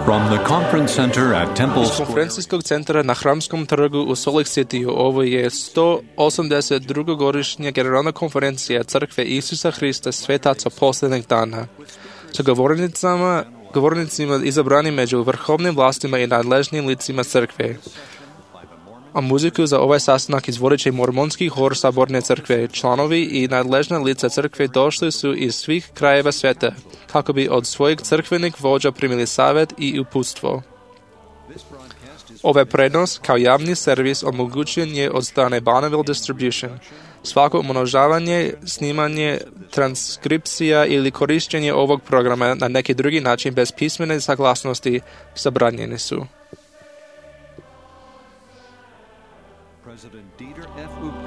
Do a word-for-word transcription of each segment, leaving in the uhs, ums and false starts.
From the conference center at Temple Iz konferencijskog centra na Hramskom trgu u Salt Lake City ovo je sto osamdeset druga godišnja generalna konferencija Crkve Isusa Hrista svetaca posljednjeg dana. Sa govornicama, govornicima izabrani među vrhovnim vlastima i nadležnim licima crkve. A muziku za ovaj sastanak izvodit će mormonski hor Saborne crkve. Članovi i nadležna lica crkve došli su iz svih krajeva sveta, kako bi od svojih crkvenih vođa primili savjet i uputstvo. Ovaj prenos kao javni servis omogućen je od strane Bonneville Distribution. Svako umnožavanje, snimanje, transkripcija ili korištenje ovog programa na neki drugi način bez pismene saglasnosti zabranjeni su.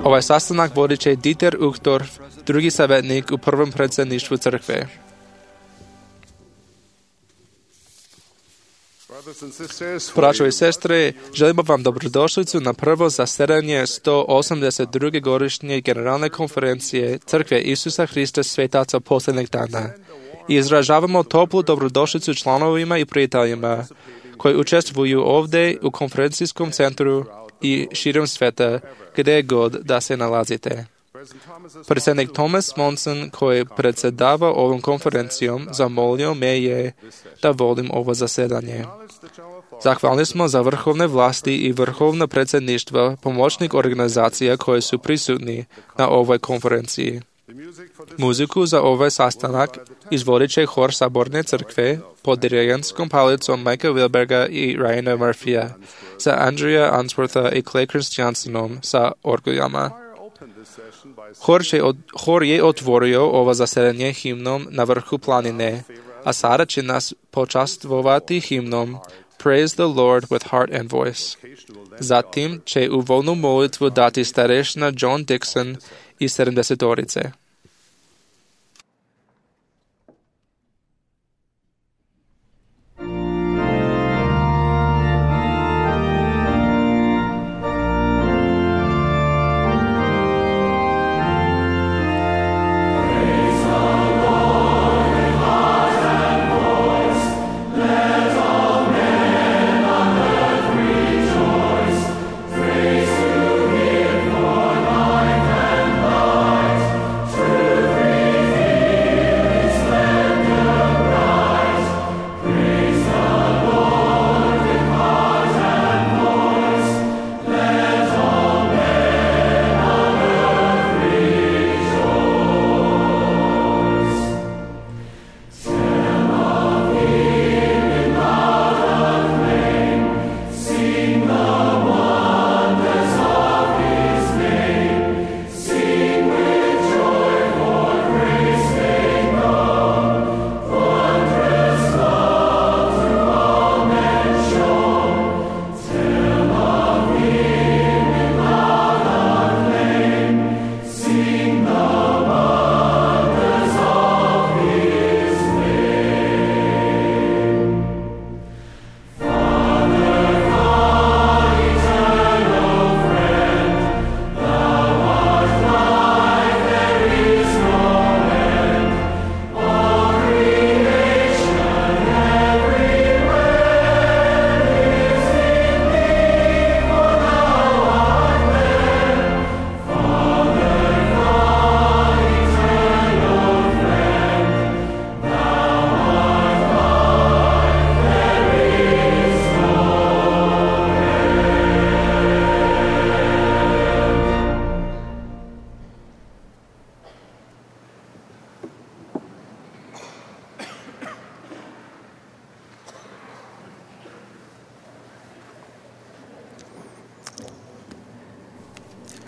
Ovaj sastanak vodit će Dieter Uchtdorf, drugi savjetnik u prvom predsjedništvu crkve. Braćo i sestre, želimo vam dobrodošlicu na prvo zasedanje sto osamdeset druge godišnje generalne konferencije Crkve Isusa Hrista svetaca posljednjeg dana. I izražavamo toplu dobrodošlicu članovima i prijateljima koji učestvuju ovdje u konferencijskom centru i širom sveta, gdje god da se nalazite. Predsjednik Thomas Monson, koji predsjedava ovom konferencijom, zamolio me je da vodim ovo zasedanje. Zahvalni smo za vrhovne vlasti i vrhovna predsjedništva pomoćnih organizacija koje su prisutni na ovoj konferenciji. Muziku za ovaj sastanak izvodit će hor Saborne crkve pod dirigentskom palicom Mikea Wilberga i Ryana Murphyja, sa Andrea Answortha i Clay Christiansenom sa orguljama. Hor, od, hor je otvorio ovo zasedanje himnom Na vrhu planine, a sada će nas počastvovati himnom Praise the Lord with heart and voice. Zatim će uvodnu molitvu dati starešina John Dixon i sedamdesetorice.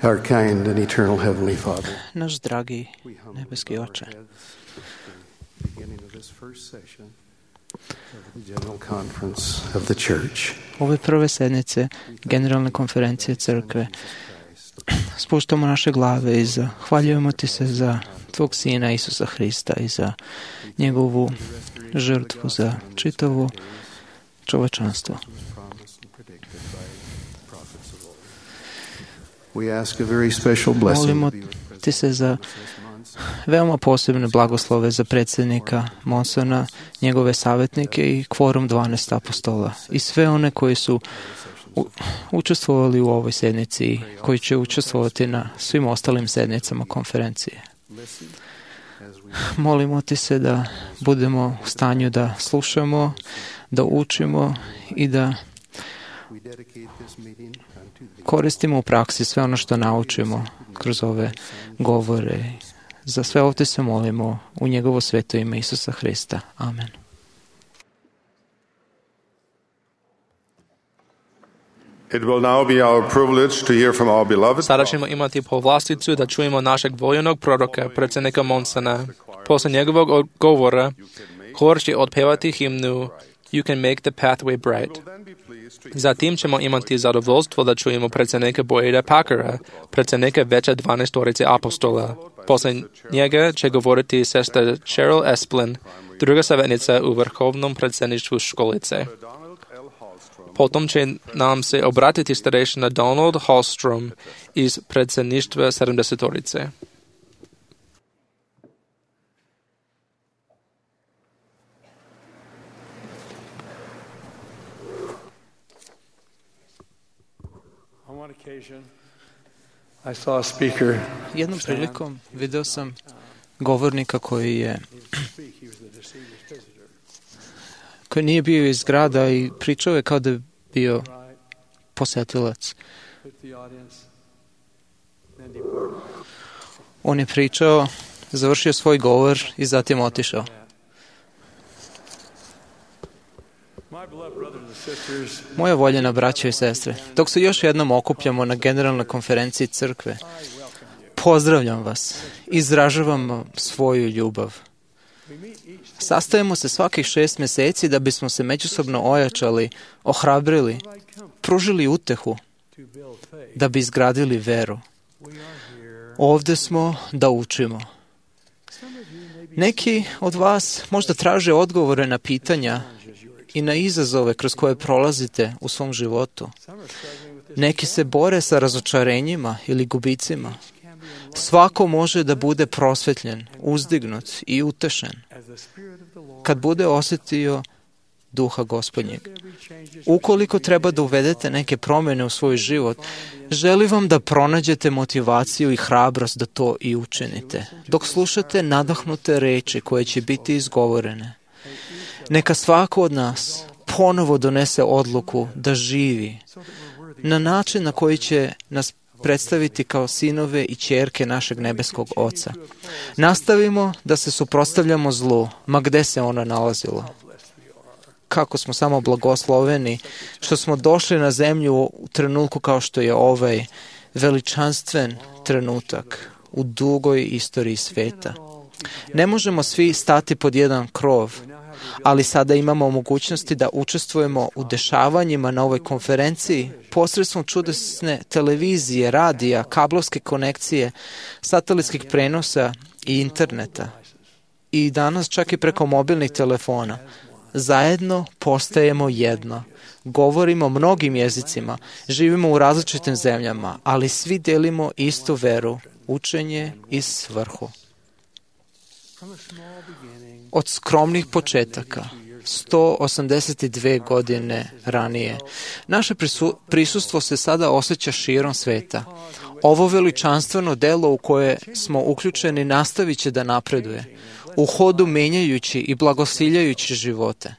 Our kind and eternal Heavenly Father, Naš dragi nebeski Oče, beginning of this first session of the General Conference of the Church, ove prve sednice Generalne konferencije crkve, spuštamo naše glave i zahvaljujemo Ti se za Tvog Sina Isusa Hrista i za njegovu žrtvu za čitavo čovečanstvo. We ask a very special blessing Molimo Ti se za Veoma posebne blagoslove za predsjednika Monsona, njegove savjetnike i kvorum dvanaest apostola i sve one koji su u, učestvovali u ovoj sednici i koji će učestvovati na svim ostalim sednicama konferencije. Molimo ti se da budemo u stanju da slušamo, da učimo i da koristimo u praksi sve ono što naučimo kroz ove govore. Za sve ovdje se molimo u njegovo sveto ime Isusa Hrista. Amen. It will now be our privilege to hear from our beloved. Sada ćemo imati povlasticu da čujemo našeg voljenog proroka, predsjednika Monsona. Posle njegovog govora, hor će otpevati himnu You can make the pathway bright. Zatim ćemo imati zadovoljstvo da čujemo predsjednika Boyda Packera, predsjednika veća dvanaestorice apostola. Posle njega će govoriti sestra Cheryl Esplin, druga savjetnica u vrhovnom predsjedništvu školice. Potom će nam se obratiti starešina Donald Hallstrom iz predsjedništva sedamdesetorice. I saw a speaker. Jednom prilikom video sam govornika koji je koji nije bio iz grada i pričao je kao da je bio posetilac. On je pričao, završio svoj govor i zatim otišao. Moja voljena braćo i sestre, dok se još jednom okupljamo na generalnoj konferenciji crkve, pozdravljam vas, izražavam svoju ljubav. Sastajemo se svakih šest mjeseci da bismo se međusobno ojačali, ohrabrili, pružili utehu, da bi izgradili veru. Ovdje smo da učimo. Neki od vas možda traže odgovore na pitanja i na izazove kroz koje prolazite u svom životu. Neki se bore sa razočarenjima ili gubicima. Svako može da bude prosvetljen, uzdignut i utešen kad bude osjetio duha Gospodnjeg. Ukoliko treba da uvedete neke promjene u svoj život, želim vam da pronađete motivaciju i hrabrost da to i učinite, dok slušate nadahnute reči koje će biti izgovorene. Neka svako od nas ponovo donese odluku da živi na način na koji će nas predstaviti kao sinove i ćerke našeg nebeskog Oca. Nastavimo da se suprotstavljamo zlu, ma gde se ono nalazilo. Kako smo samo blagosloveni što smo došli na zemlju u trenutku kao što je ovaj veličanstven trenutak u dugoj istoriji sveta. Ne možemo svi stati pod jedan krov, ali sada imamo mogućnosti da učestvujemo u dešavanjima na ovoj konferenciji posredstvom čudesne televizije, radija, kablovske konekcije, satelitskih prenosa i interneta. I danas čak i preko mobilnih telefona. Zajedno postajemo jedno. Govorimo mnogim jezicima, živimo u različitim zemljama, ali svi delimo istu veru, učenje i svrhu. Od skromnih početaka, sto osamdeset dve godine ranije, naše prisu, prisustvo se sada osjeća širom sveta. Ovo veličanstveno delo u koje smo uključeni nastavit će da napreduje, u hodu menjajući i blagosiljajući živote.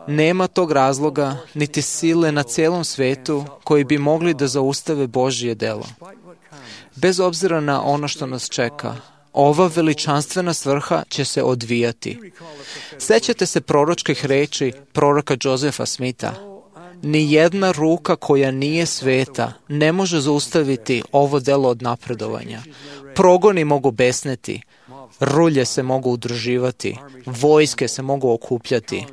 Nema tog razloga, niti sile na celom svetu koji bi mogli da zaustave Božje delo. Bez obzira na ono što nas čeka, ova veličanstvena svrha će se odvijati. Sećate se proročkih reči proroka Josefa Smitha. Ni jedna ruka koja nije sveta ne može zaustaviti ovo delo od napredovanja. Progoni mogu besneti, rulje se mogu udruživati, vojske se mogu okupljati,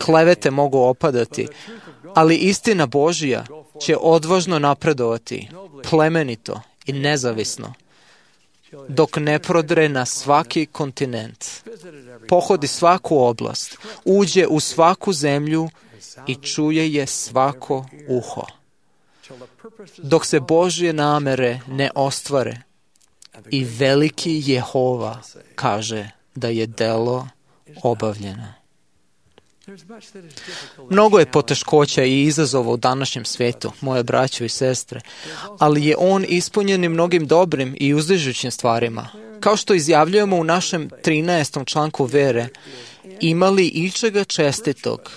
klevete mogu opadati, ali istina Božja će odvažno napredovati, plemenito i nezavisno, dok ne prodre na svaki kontinent, pohodi svaku oblast, uđe u svaku zemlju i čuje je svako uho. Dok se Božje namere ne ostvare, I veliki Jehova kaže da je delo obavljeno. Mnogo je poteškoća i izazova u današnjem svetu, moje braćo i sestre, ali je on ispunjen i mnogim dobrim i uzdižućim stvarima. Kao što izjavljujemo u našem trinaestom članku vere, imali ičega čestitog,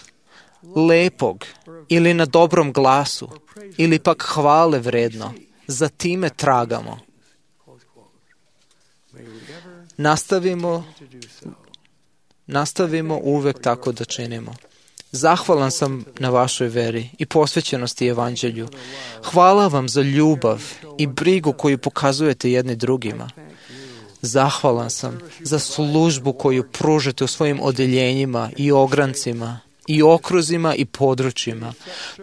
lepog ili na dobrom glasu, ili pak hvale vredno, za time tragamo. Nastavimo, nastavimo uvek tako da činimo. Zahvalan sam na vašoj veri i posvećenosti evanđelju. Hvala vam za ljubav i brigu koju pokazujete jedni drugima. Zahvalan sam za službu koju pružate u svojim odeljenjima i ograncima, i okruzima i područjima.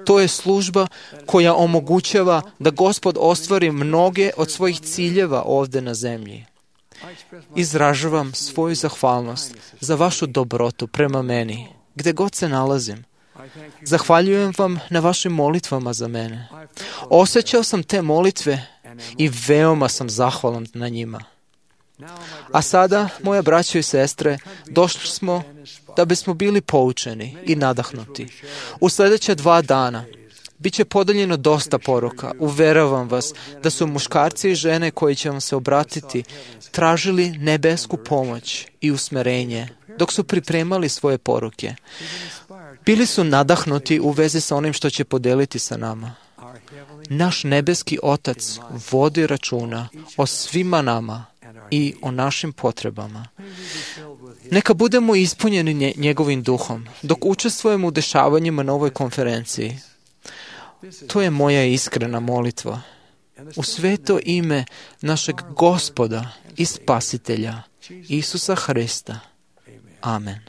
To je služba koja omogućava da Gospod ostvari mnoge od svojih ciljeva ovde na zemlji. Izražavam svoju zahvalnost za vašu dobrotu prema meni, gde god se nalazim. Zahvaljujem vam na vašim molitvama za mene. Osjećao sam te molitve i veoma sam zahvalan na njima. A sada, moja braćo i sestre, došli smo da bismo bili poučeni i nadahnuti. U sljedeća dva dana bit će podeljeno dosta poruka. Uveravam vas da su muškarci i žene koji će vam se obratiti tražili nebesku pomoć i usmerenje dok su pripremali svoje poruke. Bili su nadahnuti u vezi sa onim što će podeliti sa nama. Naš nebeski Otac vodi računa o svima nama i o našim potrebama. Neka budemo ispunjeni njegovim duhom dok učestvujemo u dešavanjima na ovoj konferenciji. To je moja iskrena molitva. U sveto ime našeg Gospoda i Spasitelja, Isusa Hrista. Amen.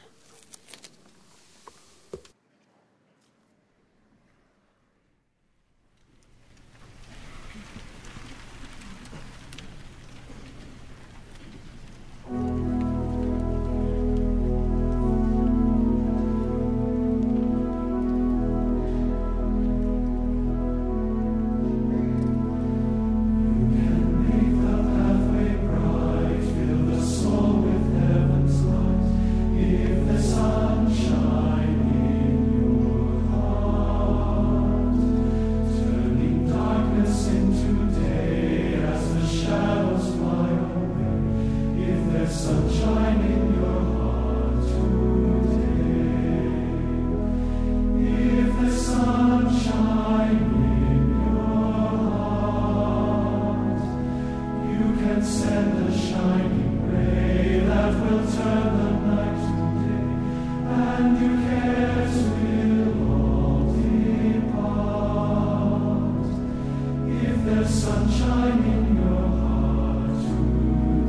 Sunshine in your heart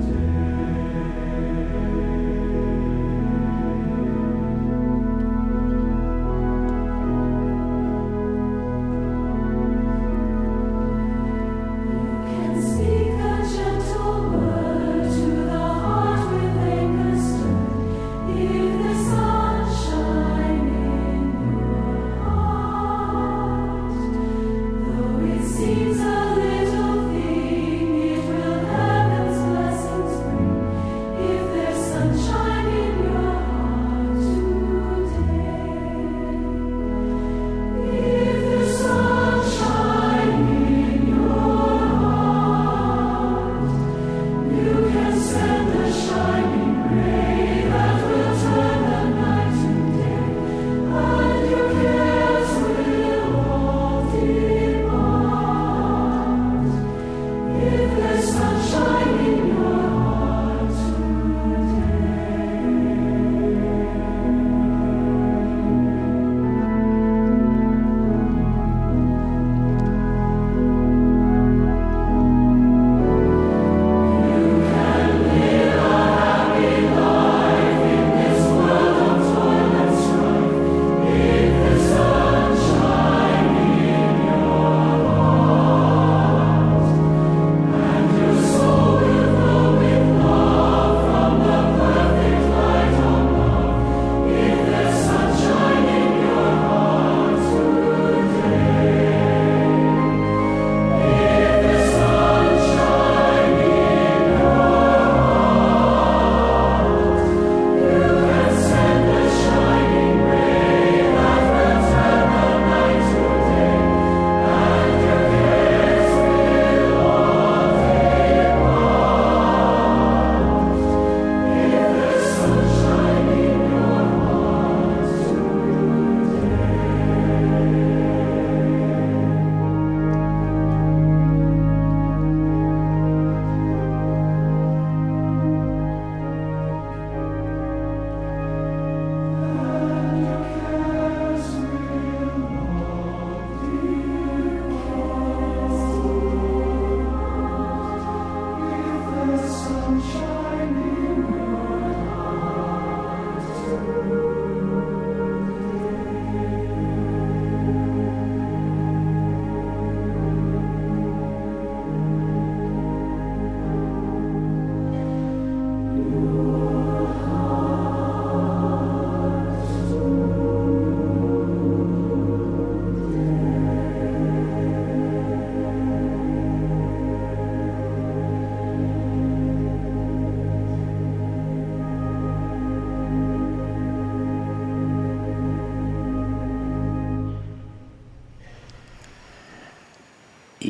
today.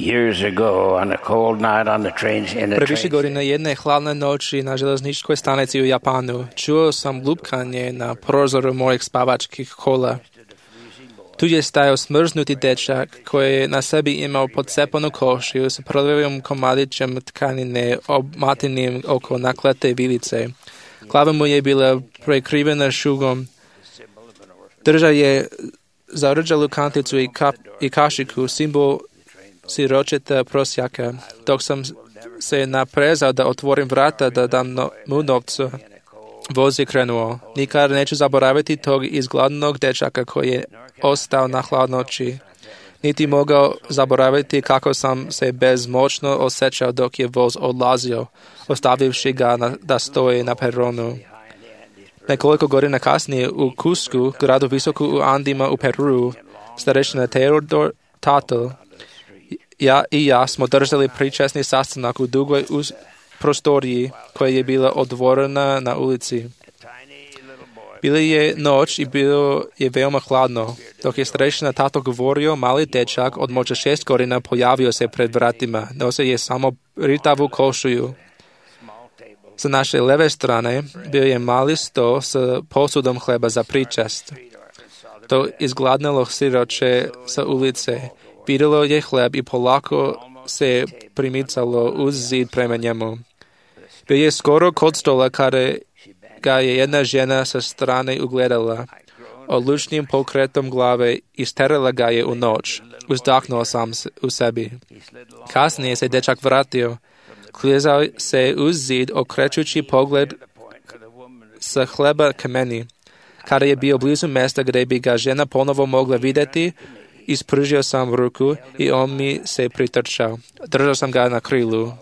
Years ago, on a cold night on the train, in the Pre više train godina jedne hladne noći na železničkoj stanici u Japanu čuo sam lupkanje na prozoru mojih spavačkih kola. Tu je stajao smrznuti dečak koji je na sebi imao pocepanu košiju s prljavim komadićem tkanine obmatenim oko naklete vilice. Glava mu je bila prekrivena šugom. Držao je zarđalu kanticu i, kap, i kašiku, simbol siročeta prosjaka. Dok sam se naprezao da otvorim vrata da dam no, mu novcu, voz je krenuo. Nikad neću zaboraviti tog izgladnog dečaka koji je ostao na hladnoći. Niti mogao zaboraviti kako sam se bezmoćno osjećao dok je voz odlazio, ostavivši ga na, da stoji na peronu. Nekoliko godina kasnije u Cuscu, gradu visoko u Andima u Peru, starešina Teodor Tatl, ja i ja smo držali pričesni sastanak u dugoj uz prostoriji koja je bila otvorena na ulici. Bila je noć i bilo je veoma hladno. Dok je starešina Tato govorio, mali dečak od možda šest godina pojavio se pred vratima. Nosio je samo ritavu košulju. Sa naše leve strane bio je mali sto s posudom hleba za pričest. To izgladnelo siroče sa ulice. Vidjelo je hleb i polako se primicalo uz zid prema njemu. Bio je skoro kod stola kada ga je jedna žena sa strane ugledala. Odlučnim pokretom glave isterala ga je u noć. Uzdahnuo sam u sebi. Kasnije se dečak vratio. Klizao se uz zid, okrećući pogled sa hleba ka meni. Kada je bio blizu mjesta gdje bi ga žena ponovo mogla vidjeti, ispružio sam ruku i on mi se pritrčao. Držao sam ga na krilu.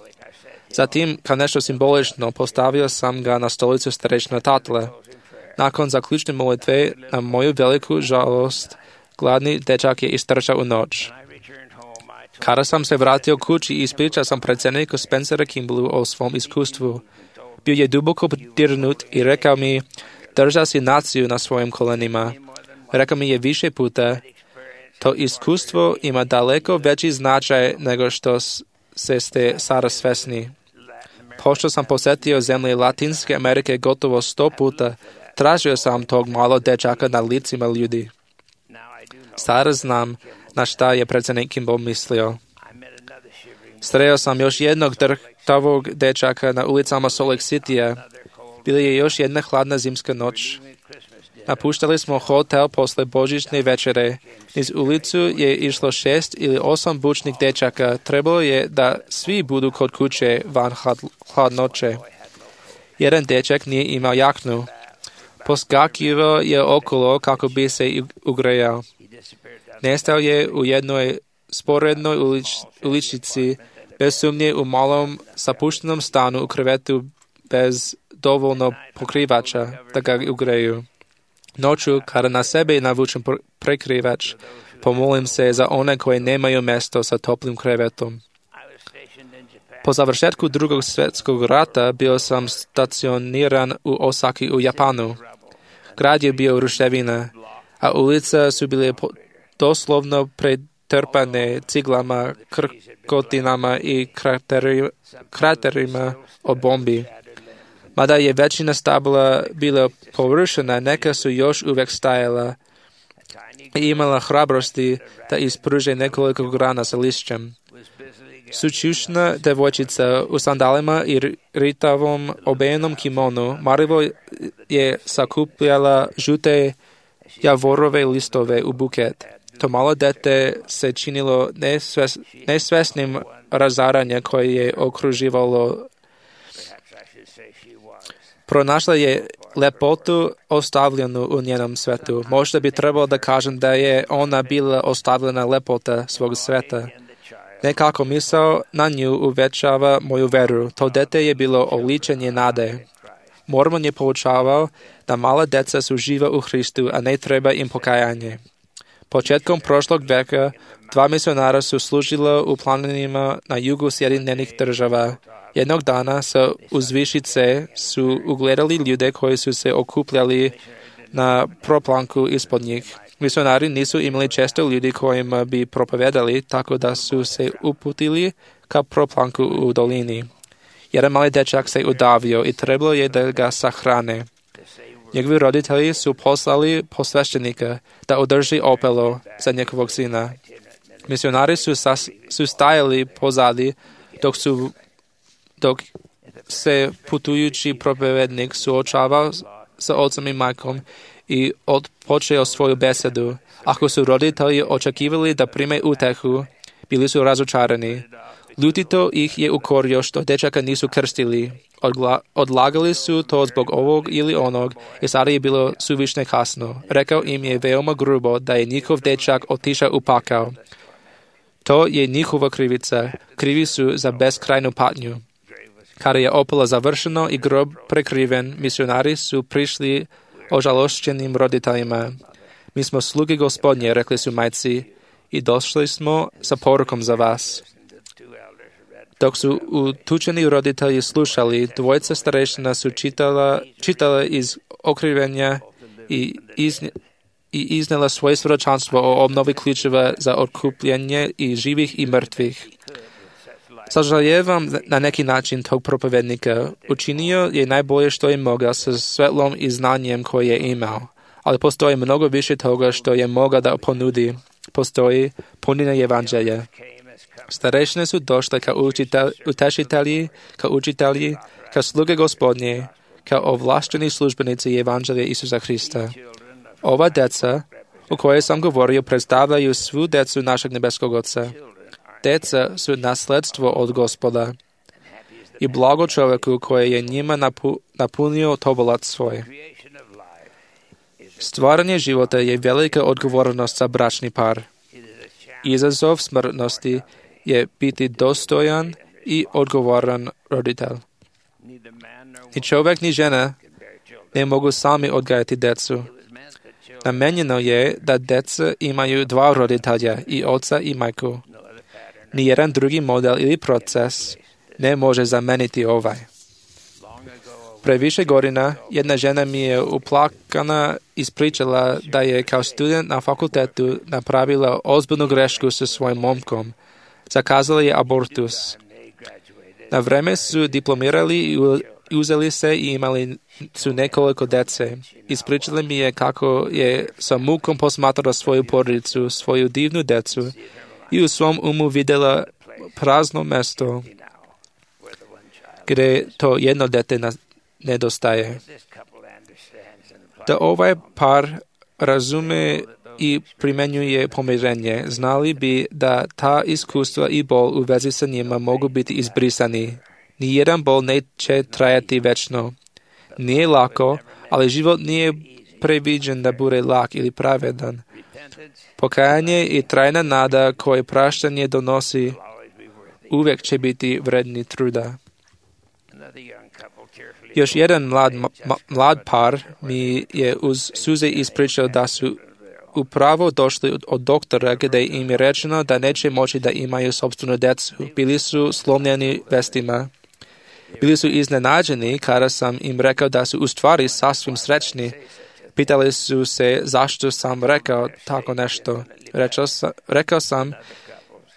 Zatim, kao nešto simbolično, postavio sam ga na stolicu starešina Tatle. Nakon zaključne molitve, na moju veliku žalost, gladni dečak je istrčao u noć. Kada sam se vratio kući, ispričao sam predsjedniku Spencera Kimballu o svom iskustvu. Bio je duboko dirnut i rekao mi, držao si naciju na svojim kolenima. Rekao mi je više puta, to iskustvo ima daleko veći značaj nego što se ste sada svesni. Pošto sam posjetio zemlje Latinske Amerike gotovo sto puta, tražio sam tog malog dečaka na licima ljudi. Sada znam na šta je predsjednik Kimball mislio. Sreo sam još jednog drhtavog dečaka na ulicama Salt Lake Citya. Bila je još jedna hladna zimska noć. Napuštali smo hotel posle božićne večere. Niz ulicu je išlo šest ili osam bučnih dečaka. Trebalo je da svi budu kod kuće van hladnoće. Jedan dečak nije imao jaknu. Poskakivao je okolo kako bi se ugrejao. Nestao je u jednoj sporednoj ulič, uličici, bez sumnje u malom zapuštenom stanu u krevetu bez dovoljno pokrivača da ga ugreju. Noću, kada na sebe navučem prekrivač, pomolim se za one koje nemaju mjesto sa toplim krevetom. Po završetku drugog svjetskog rata bio sam stacioniran u Osaki u Japanu. Grad je bio ruševina, a ulice su bile doslovno pretrpane ciglama, krkotinama i krateri, kraterima od bombi. Mada je većina stabla bila porušena, neka su još uvijek stajala i imala hrabrosti da ispruže nekoliko grana sa lišćem. Sučušna devojčica u sandalima i ritavom obejenom kimonu marivo je sakupljala žute javorove listove u buket. To malo dete se činilo nesves, nesvesnim razaranja koje je okruživalo. Pronašla je lepotu ostavljenu u njenom svetu. Možda bi trebalo da kažem da je ona bila ostavljena lepota svog sveta. Nekako misao na nju uvećava moju veru. To dete je bilo oličenje nade. Mormon je poučavao da mala deca su živa u Hristu, a ne treba im pokajanje. Početkom prošlog veka dva misionara su služila u planinama na jugu Sjedinjenih država. Jednog dana sa uzvišice su ugledali ljude koji su se okupljali na proplanku ispod njih. Misionari nisu imali često ljudi kojima bi propovedali, tako da su se uputili ka proplanku u dolini. Jedan mali dečak se udavio i trebalo je da ga sahrane. Njegovi roditelji su poslali posveštenika da održi opelo za njegovog sina. Misionari su, sas, su stajali pozadi dok, su, dok se putujući propovednik suočavao sa ocem i majkom i odpočeo svoju besedu. Ako su roditelji očekivali da prime utehu, bili su razočarani. Ljutito ih je ukorio što dečaka nisu krstili. Odgla, odlagali su to zbog ovog ili onog i sada je bilo suvišne kasno. Rekao im je veoma grubo da je njihov dečak otišao u pakao. To je njihova krivica. Krivi su za beskrajnu patnju. Kada je opelo završeno i grob prekriven, misionari su prišli ožalošćenim roditeljima. Mi smo sluge Gospodnje, rekli su majci, i došli smo sa porukom za vas. Dok su utučeni roditelji slušali, dvojica starešina su čitala, čitala iz okrivenja i, iz, i iznela svoje svjedočanstvo o obnovi ključeva za otkupljenje i živih i mrtvih. Sažaljevam na neki način tog propovednika. Učinio je najbolje što je mogao sa svetlom i znanjem koje je imao, ali postoji mnogo više toga što je mogao da ponudi. Postoji punina evanđelja. Starešine su došle kao utešitelji, kao učitelji, kao sluge Gospodnje, kao ovlašteni službenici evanđelja Isusa Hrista. Ova deca, o kojoj sam govorio, predstavljaju svu decu našeg nebeskog Oca. Deca su nasledstvo od Gospoda i blago čovjeku koji je njima napu, napunio tobolat svoj. Stvaranje života je velika odgovornost za bračni par. Izazov smrtnosti je biti dostojan i odgovoran roditelj. Ni čovjek ni žena ne mogu sami odgajati decu. Namenjeno je da deca imaju dva roditelja, i oca i majku. Nijedan drugi model ili proces ne može zameniti ovaj. Pre više godina jedna žena mi je uplakana ispričala da je kao student na fakultetu napravila ozbiljnu grešku sa svojim momkom. Zakazala je abortus. Na vreme su diplomirali i uzeli se i imali su nekoliko dece. Ispričala mi je kako je sa mukom posmatrala svoju porodicu, svoju divnu decu i u svom umu vidjela prazno mesto gdje to jedno dete nedostaje. Da ovaj par razume i primjenjuje pomirenje, znali bi da ta iskustva i bol u vezi sa njima mogu biti izbrisani. Nijedan bol neće trajati večno. Nije lako, ali život nije previđen da bude lak ili pravedan. Pokajanje i trajna nada koje praštanje donosi uvijek će biti vredni truda. Još jedan mlad, ma, mlad par mi je uz suze ispričao da su upravo došli od doktora gdje im je rečeno da neće moći da imaju sopstvenu decu. Bili su slomljeni vestima. Bili su iznenađeni kada sam im rekao da su u stvari sasvim srećni. Pitali su se zašto sam rekao tako nešto. Rekao sam, rekao sam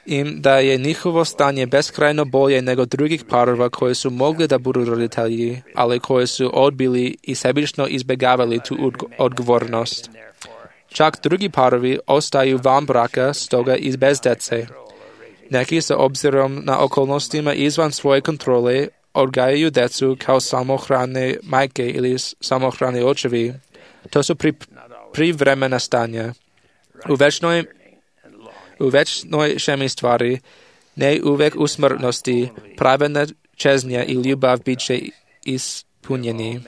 im da je njihovo stanje beskrajno bolje nego drugih parova koji su mogli da budu roditelji, ali koji su odbili i sebično izbjegavali tu odgovornost. Čak drugi parovi ostaju van braka, stoga i bez dece. Neki sa obzirom na okolnostima izvan svoje kontrole odgajaju decu kao samohrane majke ili samohrane očevi. To su pri, privremena stanja. U večnoj, u večnoj šemi stvari, ne uvek u smrtnosti, pravedna čeznja i ljubav bit će ispunjeni.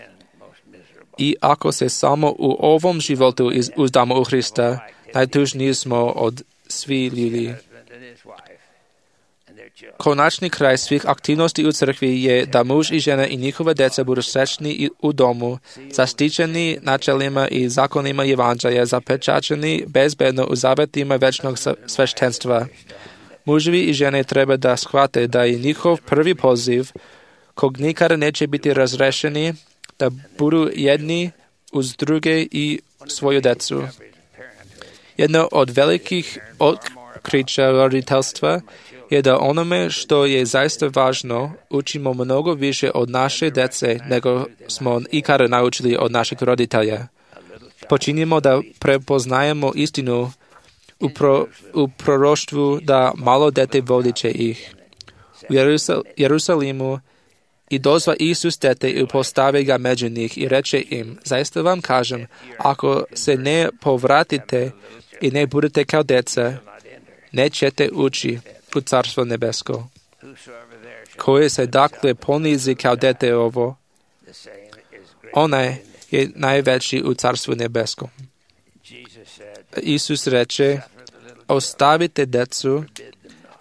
I ako se samo u ovom životu uzdamo u Hrista, najtužniji smo od svih ljudi. Konačni kraj svih aktivnosti u crkvi je da muž i žena i njihova deca budu srećni u domu, zaštićeni načelima i zakonima evanđelja, zapečačeni bezbedno u zavetima večnog sveštenstva. Muževi i žene treba da shvate da je njihov prvi poziv, kog nikada neće biti razrešeni, da budu jedni uz druge i svoju decu. Jedno od velikih otkrića roditeljstva je da onome što je zaista važno učimo mnogo više od naše dece nego smo ikada naučili od naših roditelja. Počinjemo da prepoznajemo istinu u, pro, u proroštvu da malo dete vodit će ih. U Jerusal, Jerusalimu i dozva Isus dete i postavi ga među njih i reče im, zaista vam kažem, ako se ne povratite i ne budete kao deca, nećete ući u Carstvo nebesko. Koje se dakle ponizi kao dete ovo, onaj je najveći u Carstvu nebeskom. Isus reče, ostavite decu,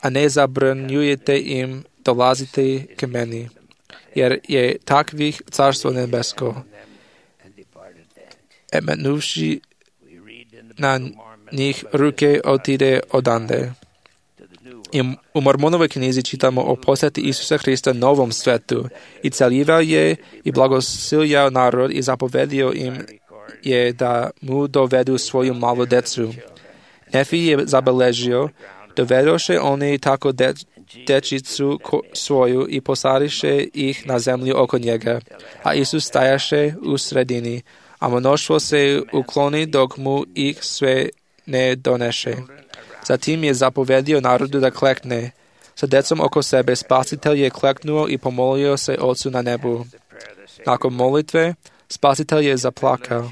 a ne zabranjujete im dolaziti k meni, jer je takvih Carstvo nebesko. E metnuvši na njih ruke otide odande. I u Mormonovoj knjizi čitamo o posjeti Isusa Hrista novom svetu i celjivao je i blagosiljao narod i zapovedio im je da mu dovedu svoju malu decu. Nefi je zabeležio, dovedoše oni tako de, dečicu ko, svoju i posadiše ih na zemlju oko njega, a Isus stajaše u sredini, a mnoštvo se ukloni dok mu ih sve ne doneše. Zatim je zapovedio narodu da klekne. Sa decom oko sebe Spasitelj je kleknuo i pomolio se Ocu na nebu. Nakon molitve, Spasitelj je zaplakao.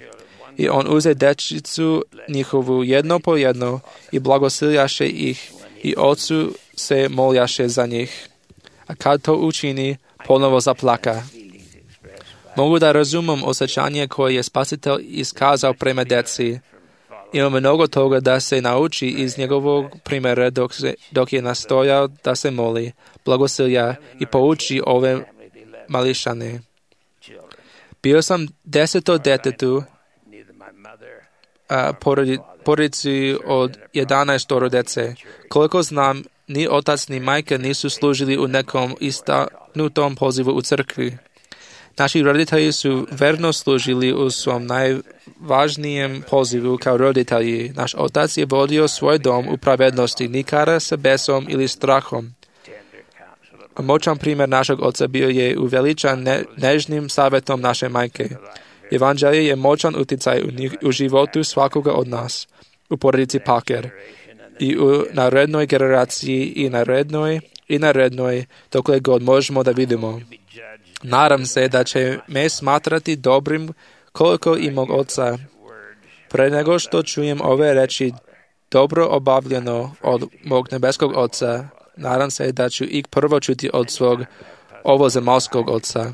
I on uze dečicu njihovu jedno po jedno i blagosiljaše ih i Ocu se moljaše za njih. A kad to učini, ponovo zaplaka. Mogu da razumem osjećanje koje je Spasitelj iskazao prema deci. Ima mnogo toga da se nauči iz njegovog primjera dok, se, dok je nastojao da se moli, blagosilja i pouči ove mališane. Bio sam deseto detetu, a porodici od jedanaestoro dece. Koliko znam, ni otac ni majka nisu služili u nekom istaknutom pozivu u crkvi. Naši roditelji su verno služili u svom najvažnijem pozivu kao roditelji. Naš otac je vodio svoj dom u pravednosti, nikada sa besom ili strahom. Moćan primjer našeg oca bio je uveličan ne, nežnim savjetom naše majke. Evanđelje je moćan utjecaj u, njih, u životu svakoga od nas, u porodici Packer, i u narednoj generaciji i narednoj i narednoj, dokle god možemo da vidimo. Nadam se da će me smatrati dobrim koliko i mog oca. Pre nego što čujem ove reči dobro obavljeno od mog nebeskog oca, nadam se da ću ih prvo čuti od svog ovozemaljskog oca.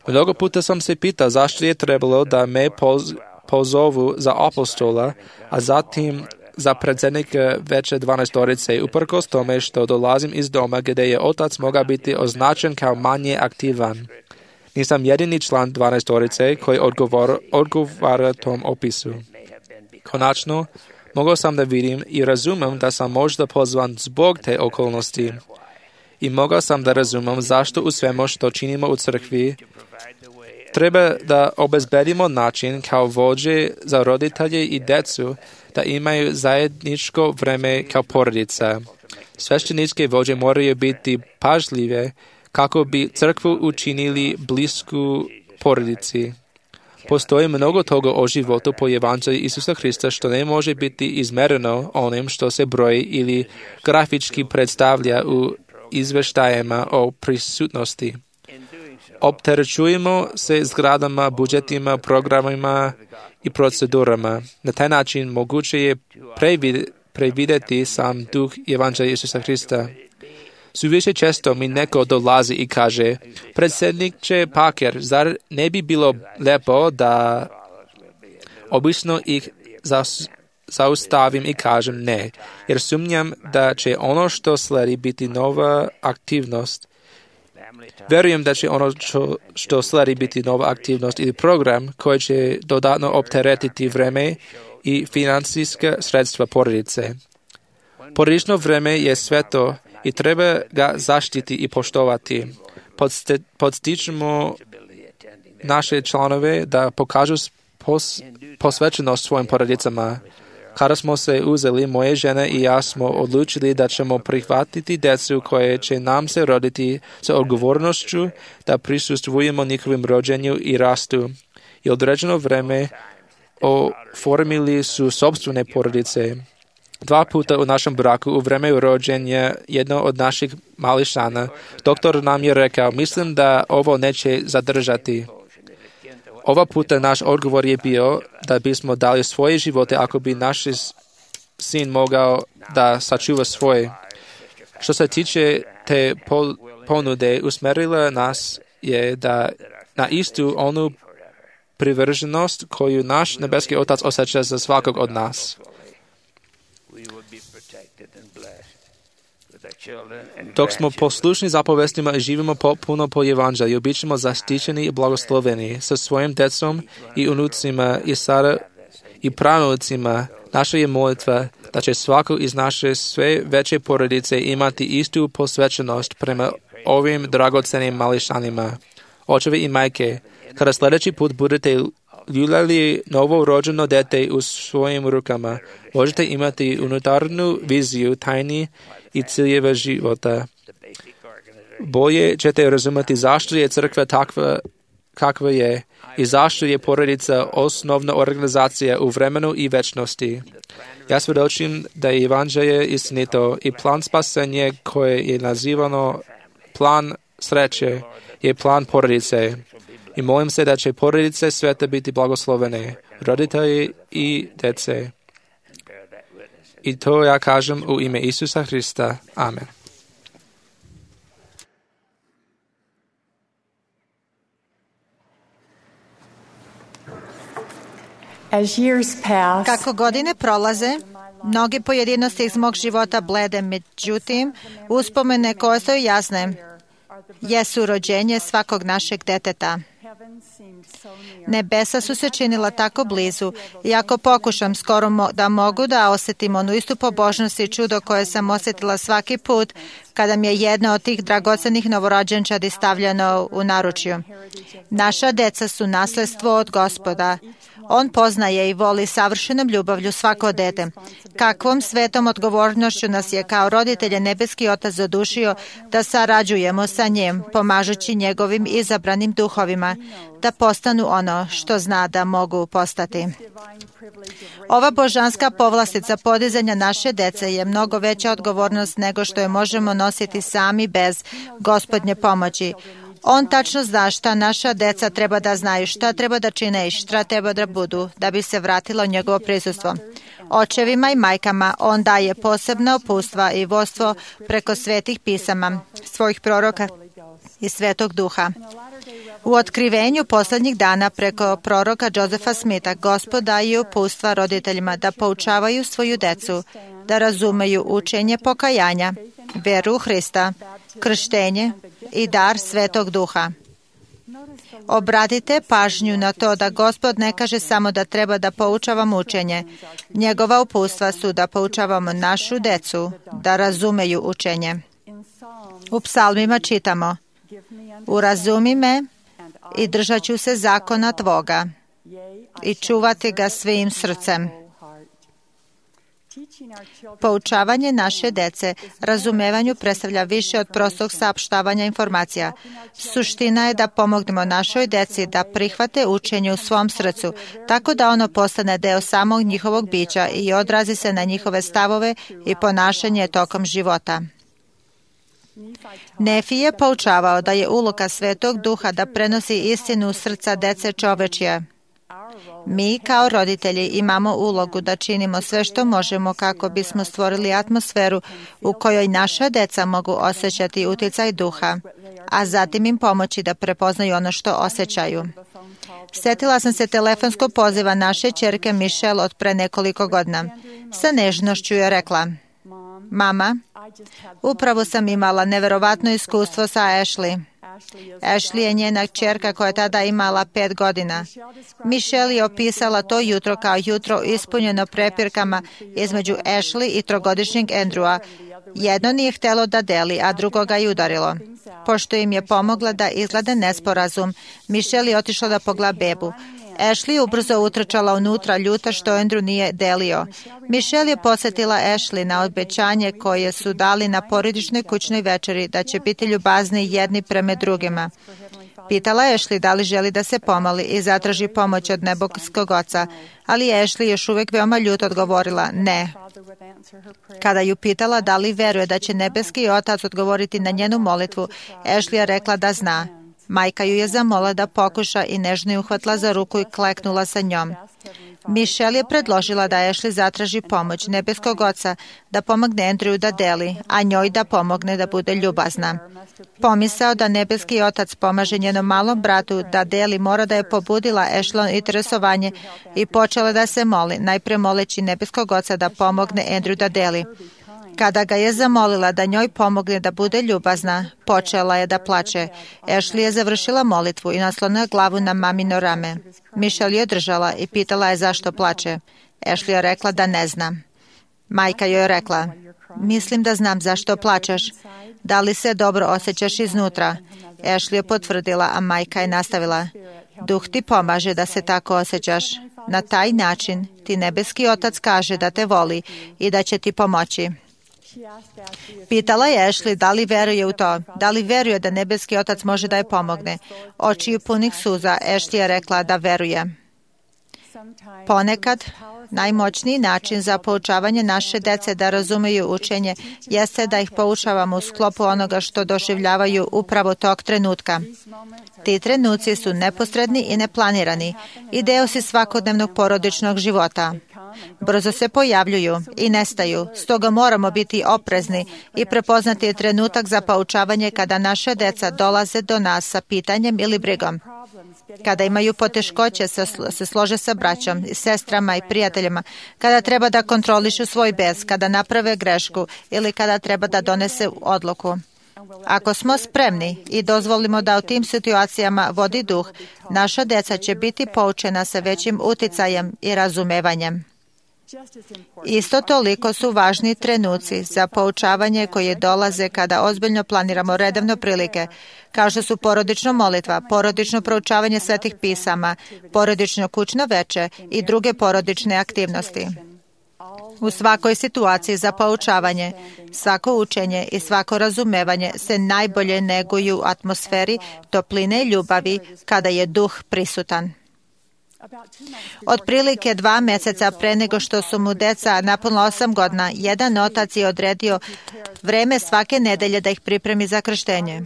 Mnogo puta sam se pitao zašto je trebalo da me poz, pozovu za apostola, a zatim za predsjednika veće dvanaestorice, uprkos tome što dolazim iz doma gdje je otac mogao biti označen kao manje aktivan. Nisam jedini član dvanaestorice koji odgovor, odgovara tom opisu. Konačno, mogao sam da vidim i razumem da sam možda pozvan zbog te okolnosti. I mogao sam da razumem zašto u svemu što činimo u crkvi treba da obezbedimo način kao vođe za roditelje i decu da imaju zajedničko vreme kao porodica. Svešteničke vođe moraju biti pažljive kako bi crkvu učinili blisku porodici. Postoji mnogo toga o životu po Evanđelju Isusa Hrista što ne može biti izmereno onim što se broji ili grafički predstavlja u izveštajima o prisutnosti. Opterećujemo se zgradama, budžetima, programima i procedurama. Na taj način moguće je prevideti sam duh Evanđelja Isusa Hrista. Suviše često mi neko dolazi i kaže, predsjedniče Packer, zar ne bi bilo lepo da obično ih zaustavim i kažem ne, jer sumnjam da će ono što sledi biti nova aktivnost. Verujem da će ono što, što sledi biti nova aktivnost ili program koji će dodatno opteretiti vreme i financijska sredstva porodice. Porodično vreme je sveto i treba ga zaštiti i poštovati. Podste, podstičemo naše članove da pokažu pos, posvećenost svojim porodicama. Kada smo se uzeli, moje žene i ja smo odlučili da ćemo prihvatiti djecu koje će nam se roditi sa odgovornošću da prisustvujemo njihovim rođenju i rastu. I određeno vreme oformili su sopstvene porodice. Dva puta u našem braku u vreme rođenja jedno od naših mališana, doktor nam je rekao, mislim da ovo neće zadržati. Ova puta naš odgovor je bio da bismo dali svoje živote ako bi naš sin mogao da sačuva svoje. Što se tiče te ponude, usmerila nas je da na istu onu privrženost koju naš nebeski Otac osjeća za svakog od nas. Dok smo poslušni zapovestima i živimo potpuno po evanđelju, bit ćemo zaštićeni i blagosloveni sa svojim djecom i unucima i sada i pranucima. Naša je molitva da će svako iz naše sve veće porodice imati istu posvećenost prema ovim dragocenim mališanima. Očevi i majke, kada sljedeći put budete ljuljali novo rođeno dete u svojim rukama, možete imati unutarnju viziju tajni i ciljeva života. Bolje ćete razumjeti zašto je crkva takva kakva je i zašto je porodica osnovna organizacija u vremenu i večnosti. Ja svjedočim da je evanđelje istinito i plan spasenja koje je nazivano plan sreće je plan porodice. I molim se da će porodice sveta biti blagoslovene, roditelji i djece. I to ja kažem u ime Isusa Hrista. Amen. Kako godine prolaze, mnoge pojedinosti iz mog života blede, međutim, uspomene koje su jasne jesu rođenje svakog našeg deteta. Nebesa su se činila tako blizu i ako pokušam skoro mo- da mogu da osjetim onu istu pobožnost i čudo koje sam osjetila svaki put kada mi je jedna od tih dragocenih novorođenčadi stavljeno u naručju. Naša deca su nasljedstvo od Gospoda. On poznaje i voli savršenom ljubavlju svako dete. Kakvom svetom odgovornošću nas je kao roditelje nebeski Otac zadušio da sarađujemo sa njim, pomažući njegovim izabranim duhovima, da postanu ono što zna da mogu postati. Ova božanska povlastica podizanja naše dece je mnogo veća odgovornost nego što je možemo nositi sami bez Gospodnje pomoći. On tačno zna šta naša deca treba da znaju, šta treba da čine i šta treba da budu da bi se vratilo njegovo prisustvo. Očevima i majkama on daje posebna upustva i vodstvo preko svetih pisama, svojih proroka i Svetog Duha. U otkrivenju posljednjih dana preko proroka Josefa Smitha Gospod daje upustva roditeljima da poučavaju svoju decu, da razumeju učenje pokajanja, veru u Hrista, krštenje i dar Svetog Duha. Obratite pažnju na to da Gospod ne kaže samo da treba da poučavamo učenje. Njegova upustva su da poučavamo našu decu, da razumeju učenje. U psalmima čitamo: urazumi me i držat ću se zakona tvoga i čuvati ga svim srcem. Poučavanje naše dece razumevanju predstavlja više od prostog saopštavanja informacija. Suština je da pomognemo našoj deci da prihvate učenje u svom srcu, tako da ono postane deo samog njihovog bića i odrazi se na njihove stavove i ponašanje tokom života. Nefi je poučavao da je uloga Svetog Duha da prenosi istinu u srca dece čovečje. Mi kao roditelji imamo ulogu da činimo sve što možemo kako bismo stvorili atmosferu u kojoj naša deca mogu osjećati utjecaj duha, a zatim im pomoći da prepoznaju ono što osjećaju. Sjetila sam se telefonskog poziva naše ćerke Michelle od pre nekoliko godina. Sa nežnošću je rekla: Mama, upravo sam imala neverovatno iskustvo sa Ashley. Ashley je njena kćerka koja je tada imala pet godina. Michelle je opisala to jutro kao jutro ispunjeno prepirkama između Ashley i trogodišnjeg Andrewa. Jedno nije htjelo da deli, a drugo ga je udarilo. Pošto im je pomogla da izgleda nesporazum, Michelle je otišla da pogleda bebu. Ashley je ubrzo utrčala unutra, ljuta što Andrew nije delio. Michelle je posjetila Ashley na obećanje koje su dali na porodičnoj kućnoj večeri da će biti ljubazni jedni prema drugima. Pitala je Ashley da li želi da se pomoli i zatraži pomoć od nebeskog oca, ali Ashley još uvijek veoma ljut odgovorila ne. Kada ju pitala da li veruje da će nebeski otac odgovoriti na njenu molitvu, Ashley je rekla da zna. Majka ju je zamola da pokuša i nežno ju uhvatila za ruku i kleknula sa njom. Michelle je predložila da Ashley zatraži pomoć nebeskog oca da pomogne Andrewu da deli, a njoj da pomogne da bude ljubazna. Pomisao da nebeski otac pomaže njenom malom bratu da deli mora da je pobudila Ashley interesovanje i počela da se moli, najpre moleći nebeskog oca da pomogne Andrewu da deli. Kada ga je zamolila da njoj pomogne da bude ljubazna, počela je da plače. Ashley je završila molitvu i naslonila glavu na mamino rame. Michelle je držala i pitala je zašto plače. Ashley je rekla da ne zna. Majka joj je rekla, mislim da znam zašto plačeš. Da li se dobro osjećaš iznutra? Ashley je potvrdila, a majka je nastavila. Duh ti pomaže da se tako osjećaš. Na taj način ti nebeski otac kaže da te voli i da će ti pomoći. Pitala je Ashley da li veruje u to, da li veruje da nebeski otac može da je pomogne. Očiju punih suza, Ashley je rekla da veruje. Ponekad, najmoćniji način za poučavanje naše dece da razumeju učenje jeste da ih poučavamo u sklopu onoga što doživljavaju upravo tog trenutka. Ti trenuci su neposredni i neplanirani i deo si svakodnevnog porodičnog života. Brzo se pojavljuju i nestaju, stoga moramo biti oprezni i prepoznati trenutak za poučavanje kada naše deca dolaze do nas sa pitanjem ili brigom. Kada imaju poteškoće se slože sa braćom, sestrama i prijateljima, kada treba da kontrolišu svoj bes, kada naprave grešku ili kada treba da donese odluku. Ako smo spremni i dozvolimo da u tim situacijama vodi duh, naša deca će biti poučena sa većim uticajem i razumevanjem. Isto toliko su važni trenuci za poučavanje koje dolaze kada ozbiljno planiramo redovne prilike, kao što su porodična molitva, porodično proučavanje svetih pisama, porodično kućno veče i druge porodične aktivnosti. U svakoj situaciji za poučavanje, svako učenje i svako razumevanje se najbolje neguju u atmosferi topline i ljubavi kada je duh prisutan. Otprilike dva meseca pre nego što su mu deca napunila osam godina, jedan otac je odredio vreme svake nedelje da ih pripremi za krštenje.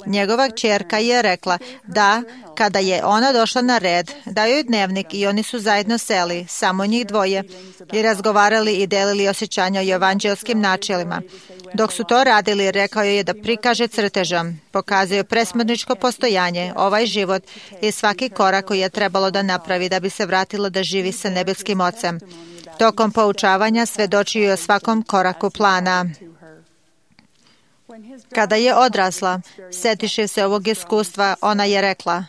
Njegova kćerka je rekla da kada je ona došla na red, dao joj dnevnik i oni su zajedno seli, samo njih dvoje, i razgovarali i delili osjećanja o evanđelskim načelima. Dok su to radili, rekao je da prikaže crtežom, pokazuje presmrtničko postojanje, ovaj život i svaki korak koji je trebalo da napravi da bi se vratilo da živi sa nebeskim ocem. Tokom poučavanja svedočio je o svakom koraku plana. Kada je odrasla, setiše se ovog iskustva, ona je rekla,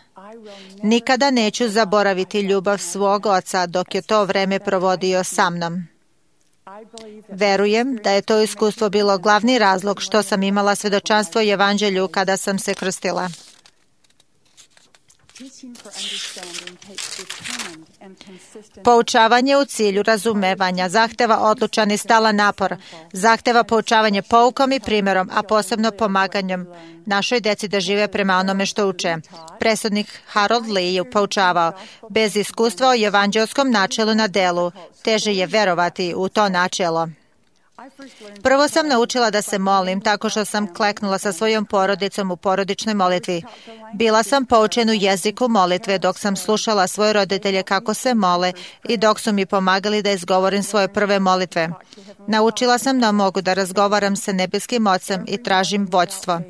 nikada neću zaboraviti ljubav svog oca dok je to vreme provodio sa mnom. Verujem da je to iskustvo bilo glavni razlog što sam imala svedočanstvo i evanđelju kada sam se krstila. Poučavanje u cilju razumevanja zahteva odlučan i stalan napor, zahteva poučavanje poukom i primjerom, a posebno pomaganjem našoj deci da žive prema onome što uče. Presudnik Harold Lee je poučavao, bez iskustva o evanđelskom načelu na delu, teže je verovati u to načelo. Prvo sam naučila da se molim tako što sam kleknula sa svojom porodicom u porodičnoj molitvi. Bila sam poučena u jeziku molitve dok sam slušala svoje roditelje kako se mole i dok su mi pomagali da izgovorim svoje prve molitve. Naučila sam da mogu da razgovaram sa nebeskim ocem i tražim vođstvo.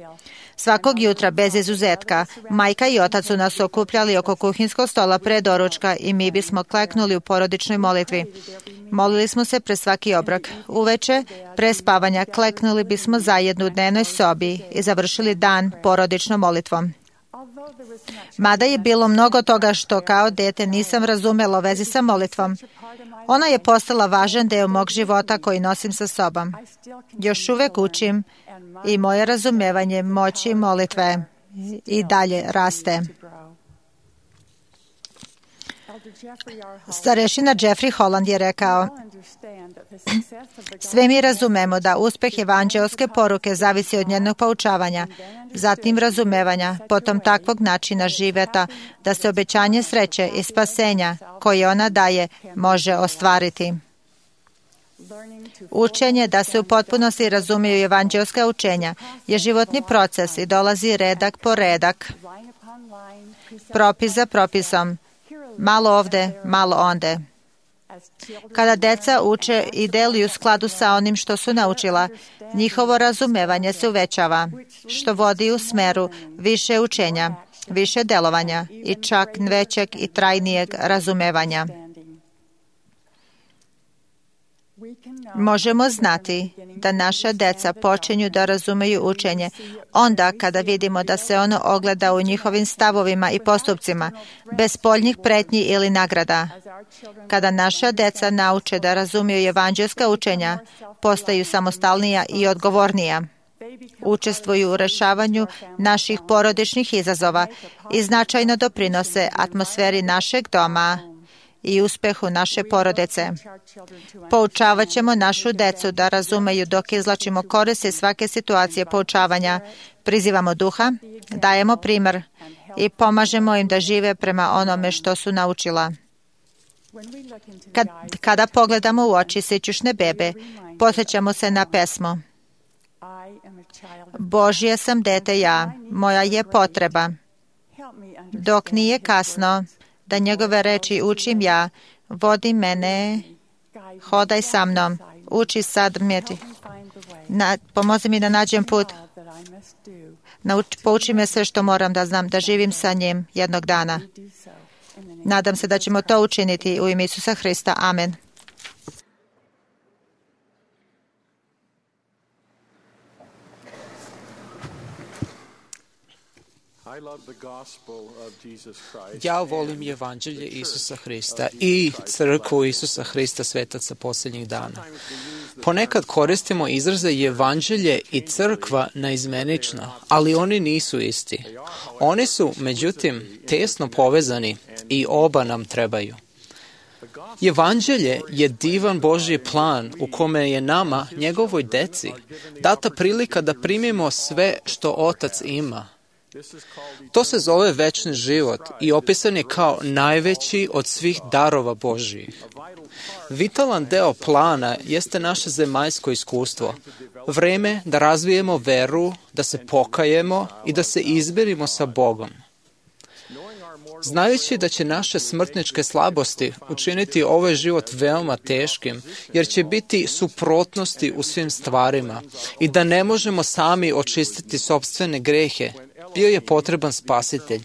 Svakog jutra, bez izuzetka, majka i otac su nas okupljali oko kuhinskog stola pre doručka i mi bismo kleknuli u porodičnoj molitvi. Molili smo se pre svaki obrok. Uveče, pre spavanja, kleknuli bismo zajedno u dnevnoj sobi i završili dan porodičnom molitvom. Mada je bilo mnogo toga što kao dete nisam razumela u vezi sa molitvom, ona je postala važan deo mog života koji nosim sa sobom. Još uvek učim i moje razumevanje moći molitve i dalje raste. Starešina Jeffrey Holland je rekao: sve mi razumemo da uspeh evanđelske poruke zavisi od njenog poučavanja, zatim razumevanja, potom takvog načina života da se obećanje sreće i spasenja koje ona daje može ostvariti. Učenje da se u potpunosti razumiju evanđelska učenja je životni proces i dolazi redak po redak, propis za propisom, malo ovde, malo onde. Kada deca uče i deluju u skladu sa onim što su naučila, njihovo razumevanje se uvećava, što vodi u smeru više učenja, više delovanja i čak većeg i trajnijeg razumevanja. Možemo znati da naša deca počinju da razumeju učenje onda kada vidimo da se ono ogleda u njihovim stavovima i postupcima, bez spoljnih pretnji ili nagrada. Kada naša deca nauče da razumiju evanđelska učenja, postaju samostalnija i odgovornija. Učestvuju u rešavanju naših porodičnih izazova i značajno doprinose atmosferi našeg doma i uspehu naše porodice. Poučavat ćemo našu decu da razumeju dok izlačimo korist iz svake situacije poučavanja, prizivamo duha, dajemo primer i pomažemo im da žive prema onome što su naučila. Kad, kada pogledamo u oči sićušne bebe, podsjećamo se na pesmu: Božje sam dete ja, moja je potreba. Dok nije kasno, da njegove reči učim ja, vodi mene, hodaj sa mnom, uči sad mjeti. Na, pomozi mi da nađem put, Nauč, pouči me sve što moram da znam, da živim sa njim jednog dana. Nadam se da ćemo to učiniti u ime Isusa Hrista. Amen. Ja volim evanđelje Isusa Hrista i crkvu Isusa Hrista svetaca posljednjih dana. Ponekad koristimo izraze evanđelje i crkva naizmenično, ali oni nisu isti. Oni su, međutim, tesno povezani i oba nam trebaju. Evanđelje je divan Božji plan u kome je nama, njegovoj deci, data prilika da primimo sve što Otac ima. To se zove večni život i opisan je kao najveći od svih darova Božjih. Vitalan deo plana jeste naše zemaljsko iskustvo, vreme da razvijemo veru, da se pokajemo i da se izmirimo sa Bogom. Znajući da će naše smrtničke slabosti učiniti ovaj život veoma teškim, jer će biti suprotnosti u svim stvarima i da ne možemo sami očistiti sopstvene grehe, bio je potreban spasitelj.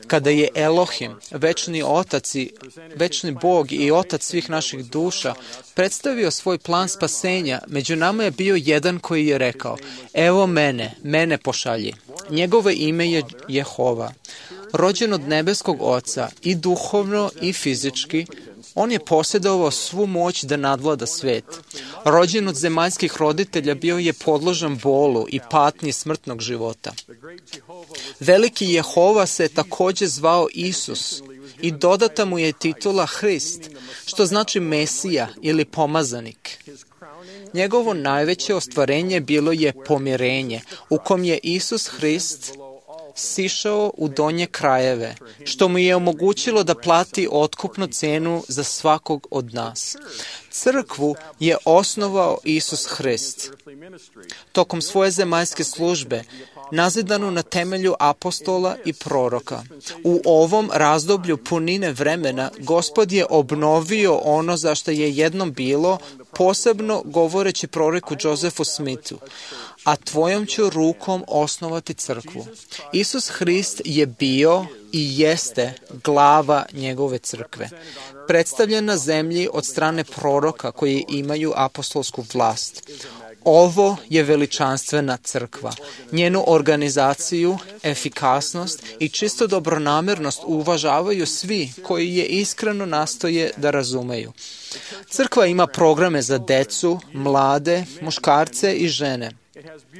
Kada je Elohim, večni Otac i večni Bog i Otac svih naših duša, predstavio svoj plan spasenja, među nama je bio jedan koji je rekao: evo mene, mene pošalji. Njegovo ime je Jehova. Rođen od nebeskog Oca i duhovno i fizički, on je posjedovao svu moć da nadvlada svet. Rođen od zemaljskih roditelja, bio je podložan bolu i patnji smrtnog života. Veliki Jehova se također zvao Isus i dodata mu je titula Hrist, što znači Mesija ili pomazanik. Njegovo najveće ostvarenje bilo je pomirenje, u kom je Isus Hrist sišao u donje krajeve, što mu je omogućilo da plati otkupnu cenu za svakog od nas. Crkvu je osnovao Isus Hrist. Tokom svoje zemaljske službe, nazidanu na temelju apostola i proroka. U ovom razdoblju punine vremena, Gospod je obnovio ono za što je jednom bilo, posebno govoreći proroku Josefu Smithu: a tvojom ću rukom osnovati crkvu. Isus Hrist je bio i jeste glava njegove crkve, predstavljen na zemlji od strane proroka koji imaju apostolsku vlast. Ovo je veličanstvena crkva. Njenu organizaciju, efikasnost i čisto dobronamernost uvažavaju svi koji je iskreno nastoje da razumeju. Crkva ima programe za decu, mlade, muškarce i žene.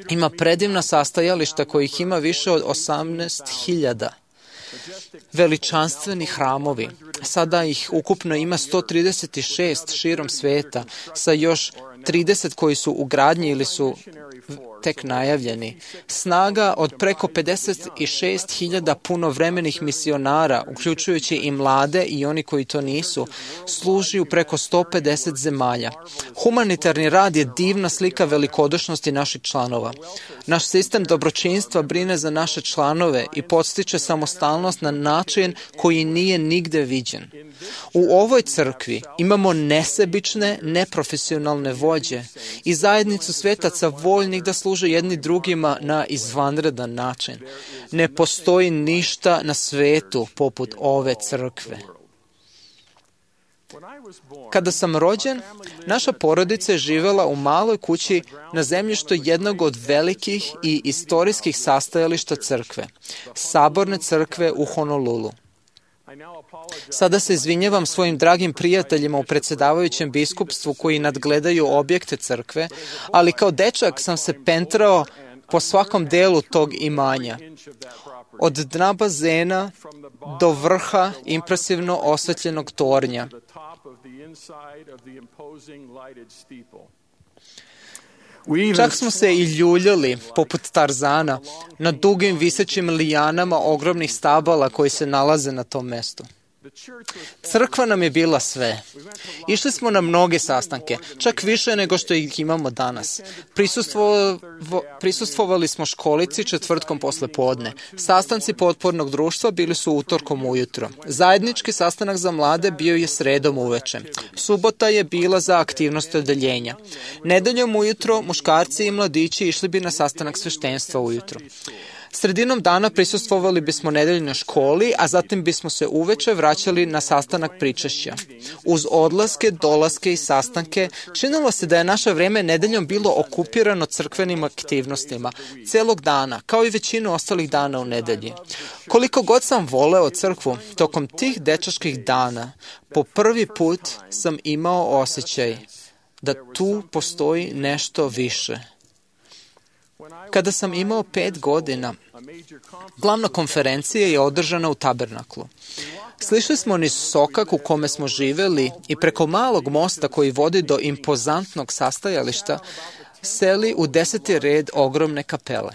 Ima predivna sastajališta kojih ima više od osamnaest hiljada. veličanstveni hramovi. Sada ih ukupno ima sto trideset šest širom sveta, sa još trideset koji su u gradnji ili su tek najavljeni. Snaga od preko pedeset šest hiljada punovremenih misionara, uključujući i mlade i oni koji to nisu, služi u preko sto pedeset zemalja. Humanitarni rad je divna slika velikodušnosti naših članova. Naš sistem dobročinstva brine za naše članove i podstiče samostalnost na način koji nije nigde viđen. U ovoj crkvi imamo nesebične, neprofesionalne vođe i zajednicu svetaca voljnih da služe jedni drugima na izvanredan način. Ne postoji ništa na svetu poput ove crkve. Kada sam rođen, naša porodica je živela u maloj kući na zemljištu jednog od velikih i istorijskih sastajališta crkve, Saborne crkve u Honolulu. Sada se izvinjavam svojim dragim prijateljima u predsjedavajućem biskupstvu koji nadgledaju objekte crkve, ali kao dečak sam se pentrao po svakom delu tog imanja. Od dna bazena do vrha impresivno osvetljenog tornja. Čak smo se i ljuljali, poput Tarzana, na dugim visećim lijanama ogromnih stabala koji se nalaze na tom mestu. Crkva nam je bila sve. Išli smo na mnoge sastanke, čak više nego što ih imamo danas. Prisustvo, prisustvovali smo školici četvrtkom posle podne. Sastanci potpornog društva bili su utorkom ujutro. Zajednički sastanak za mlade bio je sredom uveče. Subota je bila za aktivnost odeljenja. Nedeljom ujutro muškarci i mladići išli bi na sastanak sveštenstva ujutro. Sredinom dana prisustvovali bismo nedeljnoj školi, a zatim bismo se uveče vraćali na sastanak pričašća. Uz odlaske, dolaske i sastanke, činilo se da je naše vreme nedeljom bilo okupirano crkvenim aktivnostima, celog dana, kao i većinu ostalih dana u nedelji. Koliko god sam voleo crkvu, tokom tih dečačkih dana, po prvi put sam imao osjećaj da tu postoji nešto više. Kada sam imao pet godina, glavna konferencija je održana u Tabernaklu. Slišli smo niz sokak u kome smo živeli i preko malog mosta koji vodi do impozantnog sastajališta seli u deseti red ogromne kapele.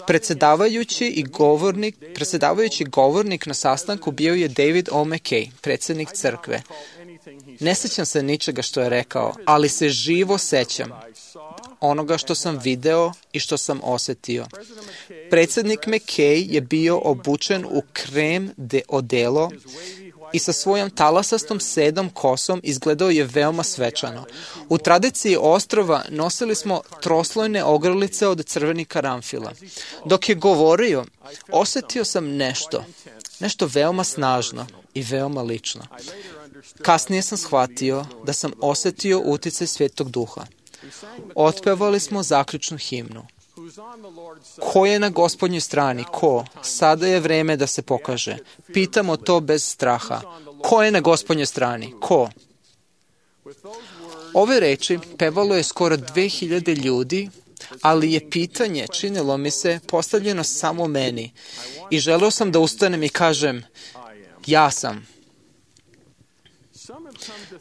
Predsjedavajući i govornik, predsjedavajući govornik na sastanku bio je David O. McKay, predsjednik crkve. Ne sećam se ničega što je rekao, ali se živo sećam onoga što sam video i što sam osetio. Predsjednik McKay je bio obučen u krem de odelo i sa svojom talasastom sedom kosom izgledao je veoma svečano. U tradiciji ostrva nosili smo troslojne ogrlice od crvenih karanfila. Dok je govorio, osetio sam nešto, nešto veoma snažno i veoma lično. Kasnije sam shvatio da sam osetio uticaj Svetog Duha. Otpevali smo zaključnu himnu. Ko je na Gospodnjoj strani? Ko? Sada je vreme da se pokaže. Pitamo to bez straha. Ko je na Gospodnjoj strani? Ko? Ove reči pevalo je skoro dve hiljade ljudi, ali je pitanje, činilo mi se, postavljeno samo meni. I želeo sam da ustanem i kažem, ja sam.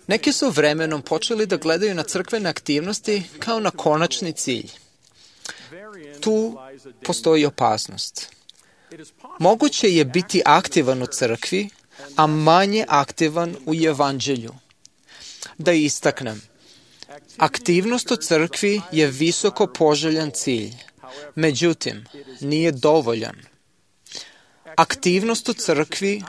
Neki su vremenom počeli da gledaju na crkvene aktivnosti kao na konačni cilj. Tu postoji opasnost. Moguće je biti aktivan u crkvi, a manje aktivan u evanđelju. Da istaknem, aktivnost u crkvi je visoko poželjan cilj, međutim, nije dovoljan. Aktivnost u crkvi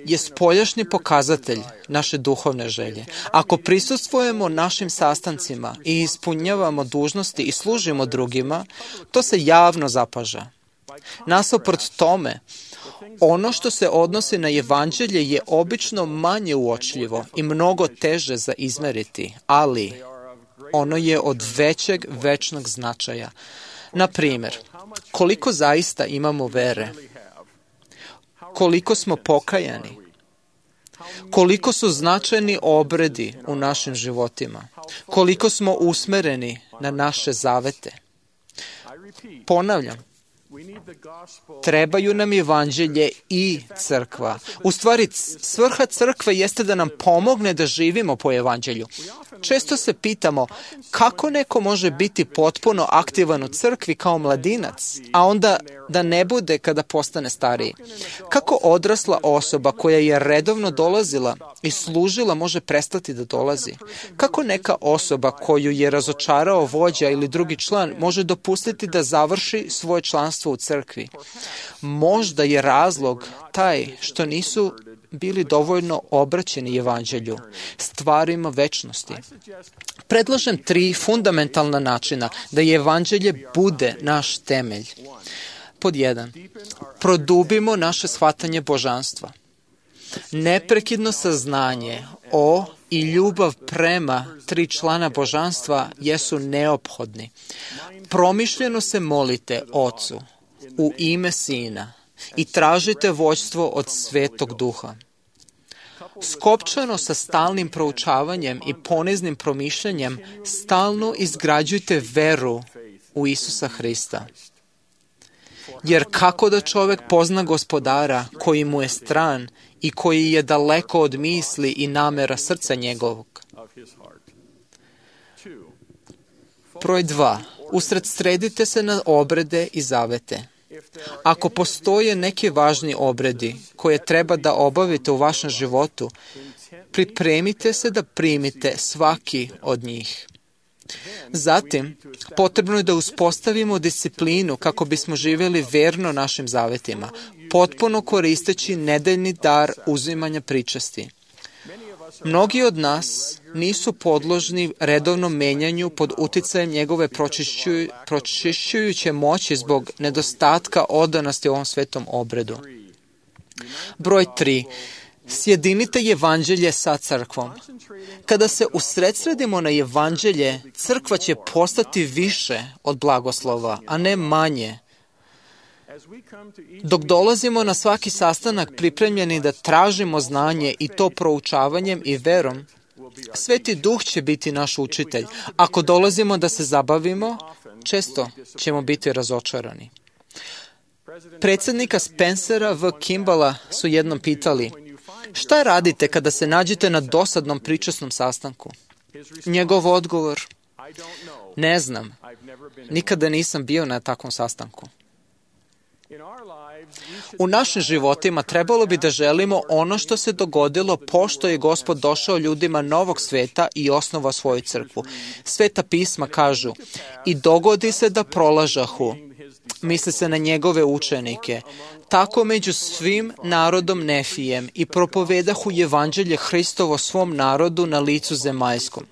je spoljašnji pokazatelj naše duhovne želje. Ako prisustvujemo našim sastancima i ispunjavamo dužnosti i služimo drugima, to se javno zapaža. Nasuprot tome, ono što se odnosi na evanđelje je obično manje uočljivo i mnogo teže za izmeriti, ali ono je od većeg večnog značaja. Na primjer, koliko zaista imamo vere? Koliko smo pokajani? Koliko su značajni obredi u našim životima? Koliko smo usmereni na naše zavete? Ponavljam, Trebaju nam evanđelje i crkva. U stvari, svrha crkve jeste da nam pomogne da živimo po evanđelju. Često se pitamo kako neko može biti potpuno aktivan u crkvi kao mladinac, a onda da ne bude kada postane stariji. Kako odrasla osoba koja je redovno dolazila i služila može prestati da dolazi? Kako neka osoba koju je razočarao vođa ili drugi član može dopustiti da završi svoje članstvo u crkvi? Možda je razlog taj što nisu bili dovoljno obraćeni evanđelju, stvarima večnosti. Predlažem tri fundamentalna načina da je evanđelje bude naš temelj. Pod jedan, produbimo naše shvatanje božanstva. Neprekidno saznanje o i ljubav prema tri člana božanstva jesu neophodni. Promišljeno se molite Ocu u ime Sina i tražite vođstvo od Svetog Duha. Skopčano sa stalnim proučavanjem i poniznim promišljanjem, stalno izgrađujte veru u Isusa Hrista. Jer kako da čovek pozna Gospodara koji mu je stran i koji je daleko od misli i namera srca njegovog? Broj dva. Usredsredite se na obrede i zavete. Ako postoje neki važni obredi koje treba da obavite u vašem životu, pripremite se da primite svaki od njih. Zatim, potrebno je da uspostavimo disciplinu kako bismo živjeli verno našim zavetima, potpuno koristeći nedeljni dar uzimanja pričasti. Mnogi od nas nisu podložni redovnom menjanju pod uticajem njegove pročišćuju, pročišćujuće moći zbog nedostatka odanosti ovom svetom obredu. Broj tri. Sjedinite evanđelje sa crkvom. Kada se usredsredimo na evanđelje, crkva će postati više od blagoslova, a ne manje. Dok dolazimo na svaki sastanak pripremljeni da tražimo znanje i to proučavanjem i verom, Sveti Duh će biti naš učitelj. Ako dolazimo da se zabavimo, često ćemo biti razočarani. Predsjednika Spencera V. Kimballa su jednom pitali: šta radite kada se nađete na dosadnom pričasnom sastanku? Njegov odgovor: ne znam, nikada nisam bio na takvom sastanku. U našim životima trebalo bi da želimo ono što se dogodilo pošto je Gospod došao ljudima novog sveta i osnovao svoju crkvu. Sveta pisma kažu: i dogodi se da prolažahu, misli se na njegove učenike, tako među svim narodom Nefijem i propovedahu evanđelje Hristovo svom narodu na licu zemaljskom.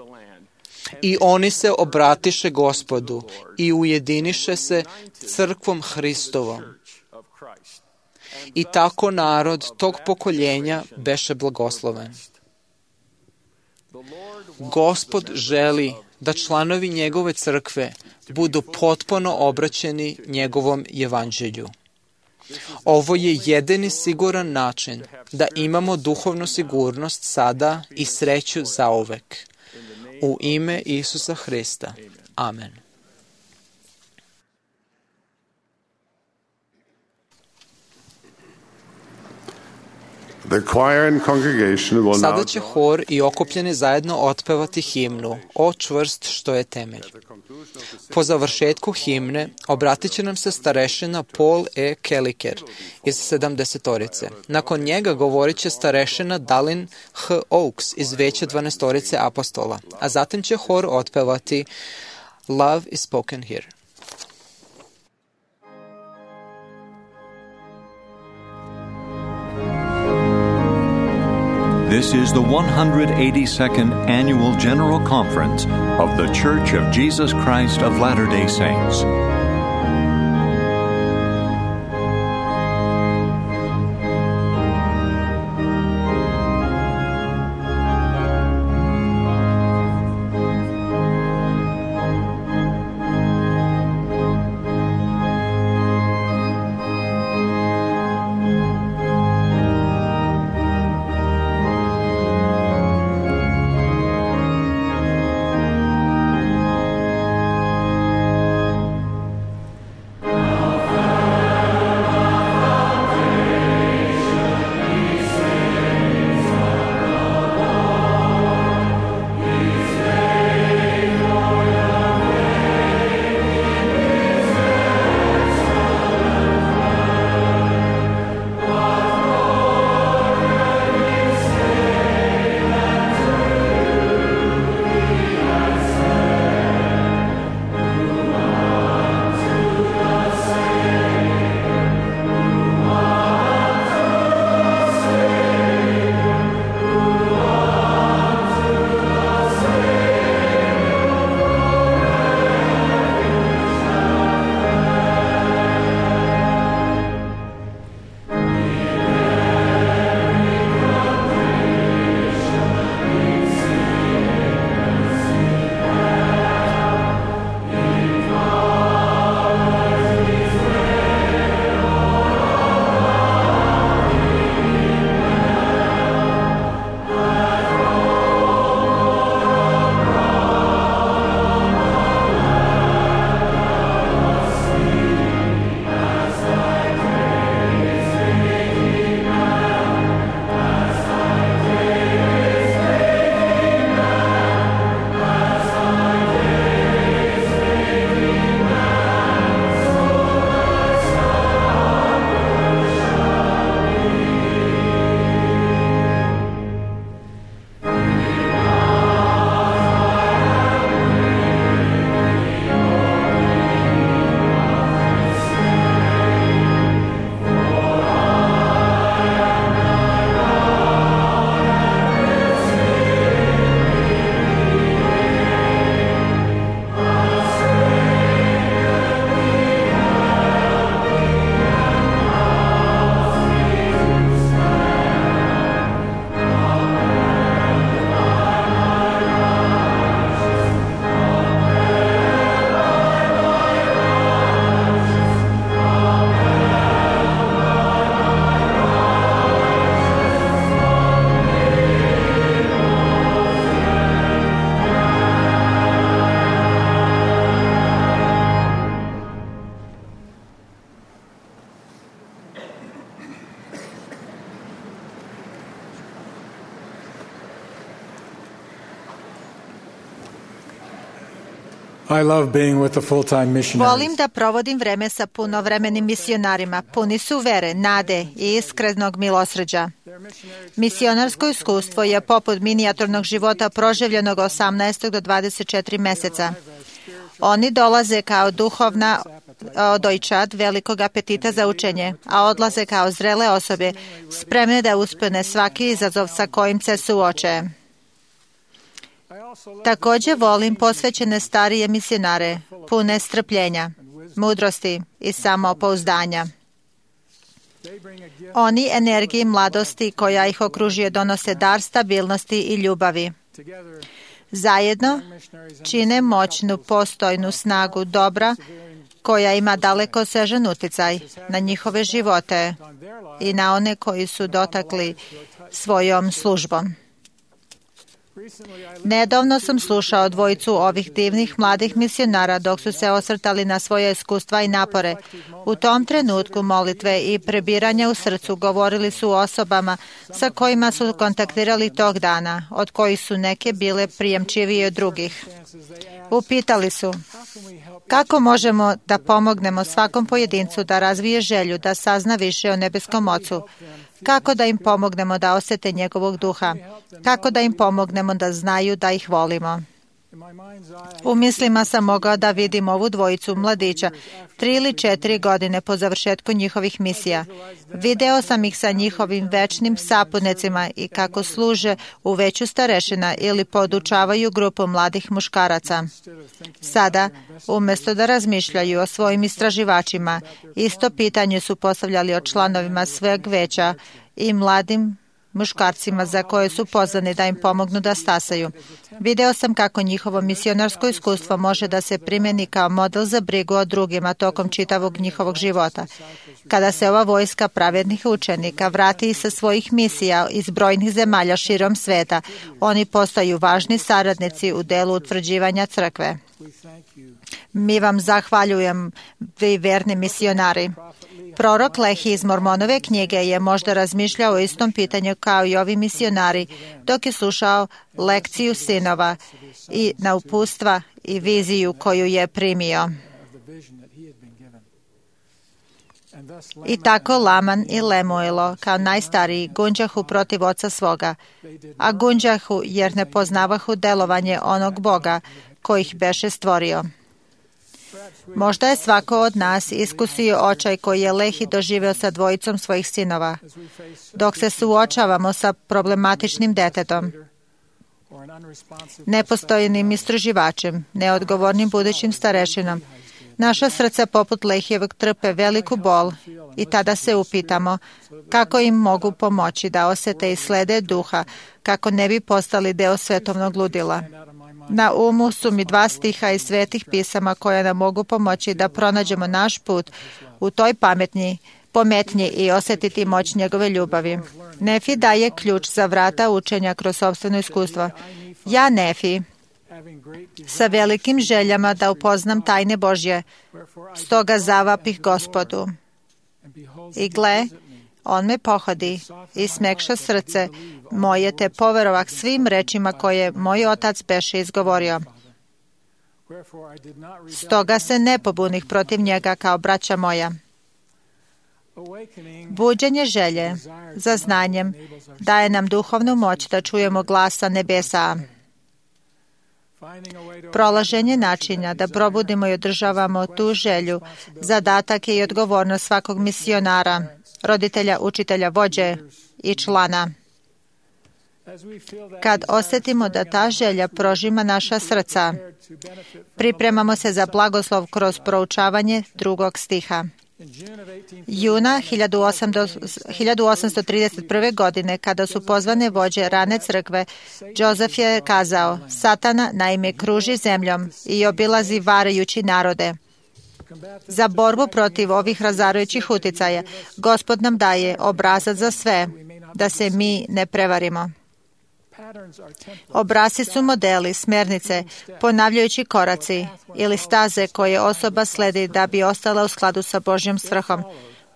I oni se obratiše Gospodu i ujediniše se crkvom Hristovom. I tako narod tog pokoljenja beše blagosloven. Gospod želi da članovi njegove crkve budu potpuno obraćeni njegovom evanđelju. Ovo je jedini siguran način da imamo duhovnu sigurnost sada i sreću zauvek. U ime Isusa Hrista. Amen. Sada će hor i okupljeni zajedno otpevati himnu O čvrst što je temelj. Po završetku himne obratit će nam se starešina Paul E. Kelliker iz sedamdesetorice. Nakon njega govorit će starešina Dallin H. Oaks iz veće dvanaestorice apostola, a zatim će hor otpevati Love is spoken here. This is the one hundred eighty-second Annual General Conference of The Church of Jesus Christ of Latter-day Saints. I love being with the full-time missionaries. Volim da provodim vreme sa punovremenim misionarima. Puni su vere, nade i iskrenog milosrđa. Misionarsko iskustvo je poput minijaturnog života proživljenog osamnaest do dvadeset četiri meseca. Oni dolaze kao duhovna dojčad velikog apetita za učenje, a odlaze kao zrele osobe, spremne da uspune svaki izazov sa kojim se suoče. Također volim posvećene starije misionare, pune strpljenja, mudrosti i samopouzdanja. Oni energiji mladosti koja ih okružuje donose dar stabilnosti i ljubavi. Zajedno čine moćnu postojnu snagu dobra koja ima dalekosežan utjecaj na njihove živote i na one koji su dotakli svojom službom. Nedavno sam slušao dvojicu ovih divnih mladih misionara dok su se osvrtali na svoje iskustva i napore. U tom trenutku molitve i prebiranja u srcu govorili su o osobama sa kojima su kontaktirali tog dana, od kojih su neke bile prijemčivije od drugih. Upitali su, kako možemo da pomognemo svakom pojedincu da razvije želju, da sazna više o nebeskom Ocu? Kako da im pomognemo da osjete njegovog duha? Kako da im pomognemo da znaju da ih volimo? U mislima sam mogao da vidim ovu dvojicu mladića, tri ili četiri godine po završetku njihovih misija. Video sam ih sa njihovim večnim saputnicima i kako služe u veću starešina ili podučavaju grupu mladih muškaraca. Sada, umjesto da razmišljaju o svojim istraživačima, isto pitanje su postavljali o članovima sveg veća i mladim muškarcima za koje su pozvani da im pomognu da stasaju. Video sam kako njihovo misionarsko iskustvo može da se primjeni kao model za brigu o drugima tokom čitavog njihovog života. Kada se ova vojska pravednih učenika vrati sa svojih misija iz brojnih zemalja širom sveta, oni postaju važni saradnici u delu utvrđivanja crkve. Mi vam zahvaljujem, vi verni misionari. Prorok Lehi iz Mormonove knjige je možda razmišljao o istom pitanju kao i ovi misionari dok je slušao lekciju sinova i na upustva i viziju koju je primio. I tako Laman i Lemuelo kao najstariji gunđahu protiv oca svoga, a gunđahu jer ne poznavahu delovanje onog Boga koji ih beše stvorio. Možda je svako od nas iskusio očaj koji je Lehi doživeo sa dvojicom svojih sinova. Dok se suočavamo sa problematičnim detetom, nepostojnim istraživačem, neodgovornim budućim starešinom, naša srca poput Lehijevog trpe veliku bol i tada se upitamo kako im mogu pomoći da osjete i slede duha kako ne bi postali deo svetovnog ludila. Na umu su mi dva stiha iz svetih pisama koja nam mogu pomoći da pronađemo naš put u toj pametnji, pometnji i osjetiti moć njegove ljubavi. Nefi daje ključ za vrata učenja kroz sopstveno iskustvo. Ja, Nefi, sa velikim željama da upoznam tajne Božje, stoga zavapih Gospodu. I gle, on me pohodi i smekša srce moje te poverovah svim rečima koje moj otac beše izgovorio. Stoga se ne pobunih protiv njega kao braća moja. Buđenje želje za znanjem daje nam duhovnu moć da čujemo glasa nebesa. Prolaženje načina da probudimo i održavamo tu želju, zadatak je i odgovornost svakog misionara, roditelja, učitelja, vođe i člana. Kad osjetimo da ta želja prožima naša srca, pripremamo se za blagoslov kroz proučavanje drugog stiha. Juna hiljadu osamsto trideset prve. godine, kada su pozvane vođe rane crkve, Joseph je kazao, Satana naime kruži zemljom i obilazi varajući narode. Za borbu protiv ovih razarajućih uticaja, Gospod nam daje obrazac za sve, da se mi ne prevarimo. Obrasci su modeli, smjernice, ponavljajući koraci ili staze koje osoba sledi da bi ostala u skladu sa Božjom svrhom.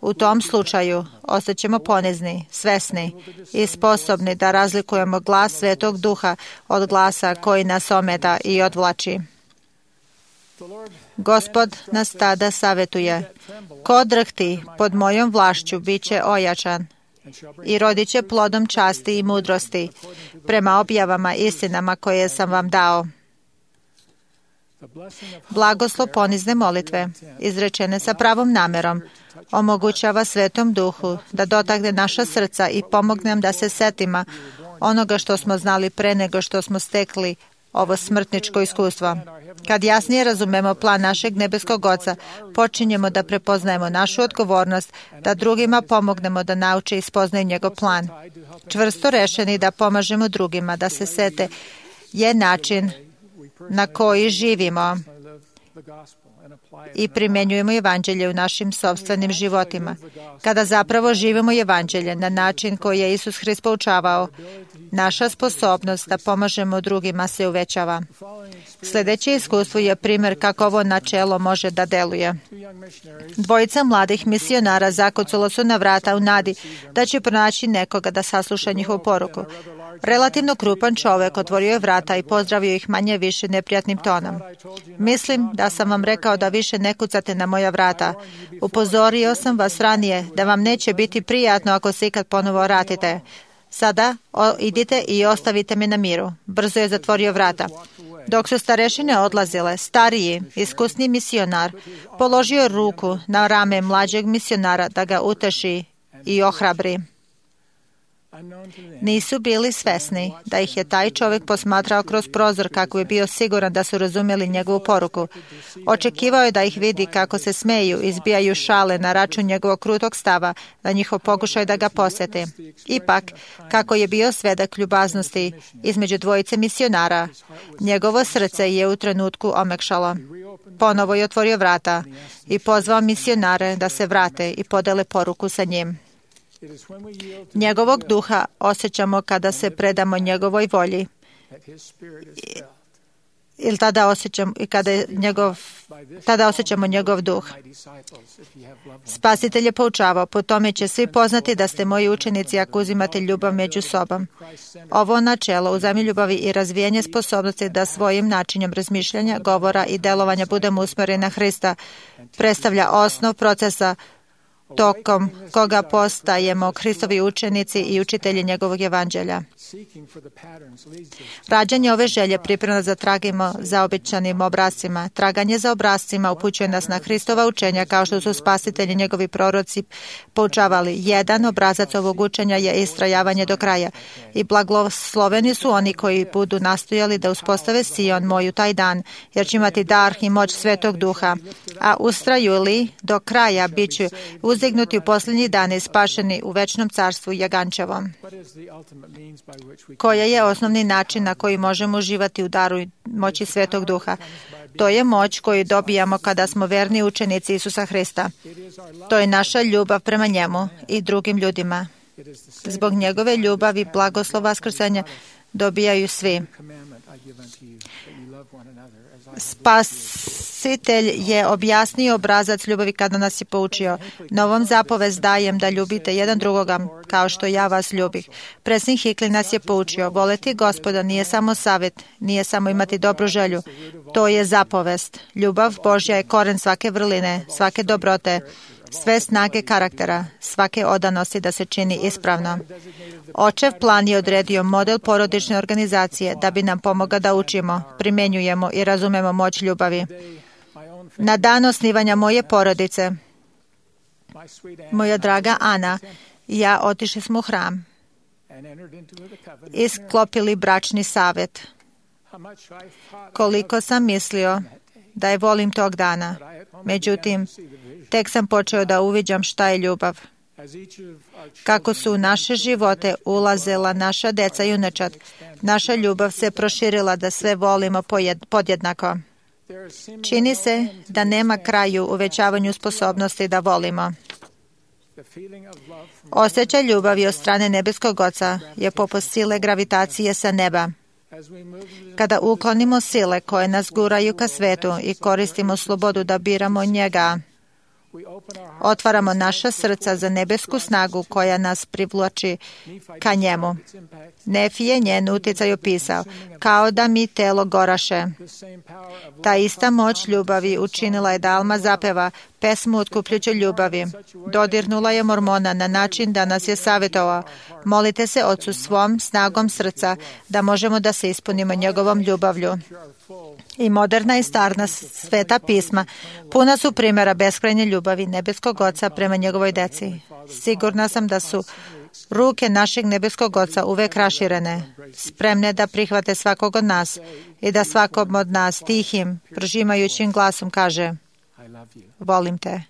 U tom slučaju ostaćemo ponizni, svesni i sposobni da razlikujemo glas Svetog Duha od glasa koji nas ometa i odvlači. Gospod nas tada savjetuje: ko drhti pod mojom vlašću bit će ojačan i rodit će plodom časti i mudrosti prema objavama istinama koje sam vam dao. Blagoslov ponizne molitve, izrečene sa pravom namerom, omogućava Svetom Duhu da dotakne naša srca i pomogne nam da se setimo onoga što smo znali pre nego što smo stekli ovo smrtničko iskustvo. Kad jasnije razumemo plan našeg nebeskog Oca, počinjemo da prepoznajemo našu odgovornost, da drugima pomognemo da nauče i spoznaju njegov plan. Čvrsto rešeni da pomažemo drugima da se sete je način na koji živimo i primjenjujemo evanđelje u našim sopstvenim životima. Kada zapravo živimo evanđelje na način koji je Isus Hrist poučavao, naša sposobnost da pomažemo drugima se uvećava. Sljedeće iskustvo je primjer kako ovo načelo može da deluje. Dvojica mladih misionara zakucalo su na vrata u nadi da će pronaći nekoga da sasluša njihovu poruku. Relativno krupan čovek otvorio je vrata i pozdravio ih manje više neprijatnim tonom. Mislim da sam vam rekao da više ne kucate na moja vrata. Upozorio sam vas ranije da vam neće biti prijatno ako se ikad ponovo vratite. Sada o, idite i ostavite me na miru. Brzo je zatvorio vrata. Dok su starešine odlazile, stariji, iskusni misionar položio je ruku na rame mlađeg misionara da ga uteši i ohrabri. Nisu bili svesni da ih je taj čovjek posmatrao kroz prozor kako je bio siguran da su razumjeli njegovu poruku. Očekivao je da ih vidi kako se smeju, izbijaju šale na račun njegovog krutog stava, na njihov pokušaj da ga posjeti. Ipak, kako je bio svedak ljubaznosti između dvojice misionara, njegovo srce je u trenutku omekšalo. Ponovo je otvorio vrata i pozvao misionare da se vrate i podele poruku sa njim. Njegovog duha osjećamo kada se predamo njegovoj volji. Ili tada osjećamo, i kada je njegov, tada osjećamo njegov duh. Spasitelj je poučavao: po tome će svi poznati da ste moji učenici ako uzimate ljubav među sobom. Ovo načelo uzajamne ljubavi i razvijanje sposobnosti da svojim načinom razmišljanja, govora i delovanja budemo usmjereni na Hrista predstavlja osnov procesa tokom koga postajemo Hristovi učenici i učitelji njegovog evanđelja. Rađanje ove želje priprema za tragimo za obećanim obrascima. Traganje za obrascima upućuje nas na Hristova učenja, kao što su spasitelji njegovi proroci poučavali. Jedan obrazac ovog učenja je istrajavanje do kraja. I blagosloveni su oni koji budu nastojali da uspostave Sion moju taj dan, jer će imati dar i moć Svetog Duha. A ustraju li do kraja, bit će uzdignuti u posljednji dane, spašeni u večnom carstvu Jagančevom. Koja je osnovni način na koji možemo uživati u daru moći Svetog Duha? To je moć koju dobijamo kada smo verni učenici Isusa Hrista. To je naša ljubav prema njemu i drugim ljudima. Zbog njegove ljubavi, blagoslova vaskrsenja dobijaju svi. Spasitelj je objasnio obrazac ljubavi kada nas je poučio: novom zapovest dajem da ljubite jedan drugoga kao što ja vas ljubih. Predsjednik Hickey nas je poučio: voleti Gospoda nije samo savjet, nije samo imati dobru želju. To je zapovest. Ljubav Božja je koren svake vrline, svake dobrote, sve snage karaktera, svake odanosti da se čini ispravno. Očev plan je odredio model porodične organizacije da bi nam pomogao da učimo, primjenjujemo i razumemo moć ljubavi. Na dan osnivanja moje porodice, moja draga Ana i ja otišli smo u hram i sklopili bračni savjet. Koliko sam mislio da je volim tog dana. Međutim, tek sam počeo da uviđam šta je ljubav. Kako su u naše živote ulazila naša deca i unučad, naša ljubav se proširila da sve volimo podjednako. Čini se da nema kraju uvećavanju sposobnosti da volimo. Osjećaj ljubavi od strane nebeskog Oca je poput sile gravitacije sa neba. Kada uklonimo sile koje nas guraju ka svetu i koristimo slobodu da biramo njega, Otvaramo naša srca za nebesku snagu koja nas privlači ka njemu. Nefi je njen utjecaj opisao, kao da mi telo goraše. Ta ista moć ljubavi učinila je da Alma zapeva pesmu otkupljuće ljubavi. Dodirnula je Mormona na način da nas je savjetovao. Molite se Ocu svom snagom srca da možemo da se ispunimo njegovom ljubavlju. I moderna i starna sveta pisma puna su primjera beskrajne ljubavi nebeskog Oca prema njegovoj deci. Sigurna sam da su ruke našeg nebeskog Oca uvek raširene, spremne da prihvate svakog od nas i da svakom od nas tihim, prožimajućim glasom kaže: volim te.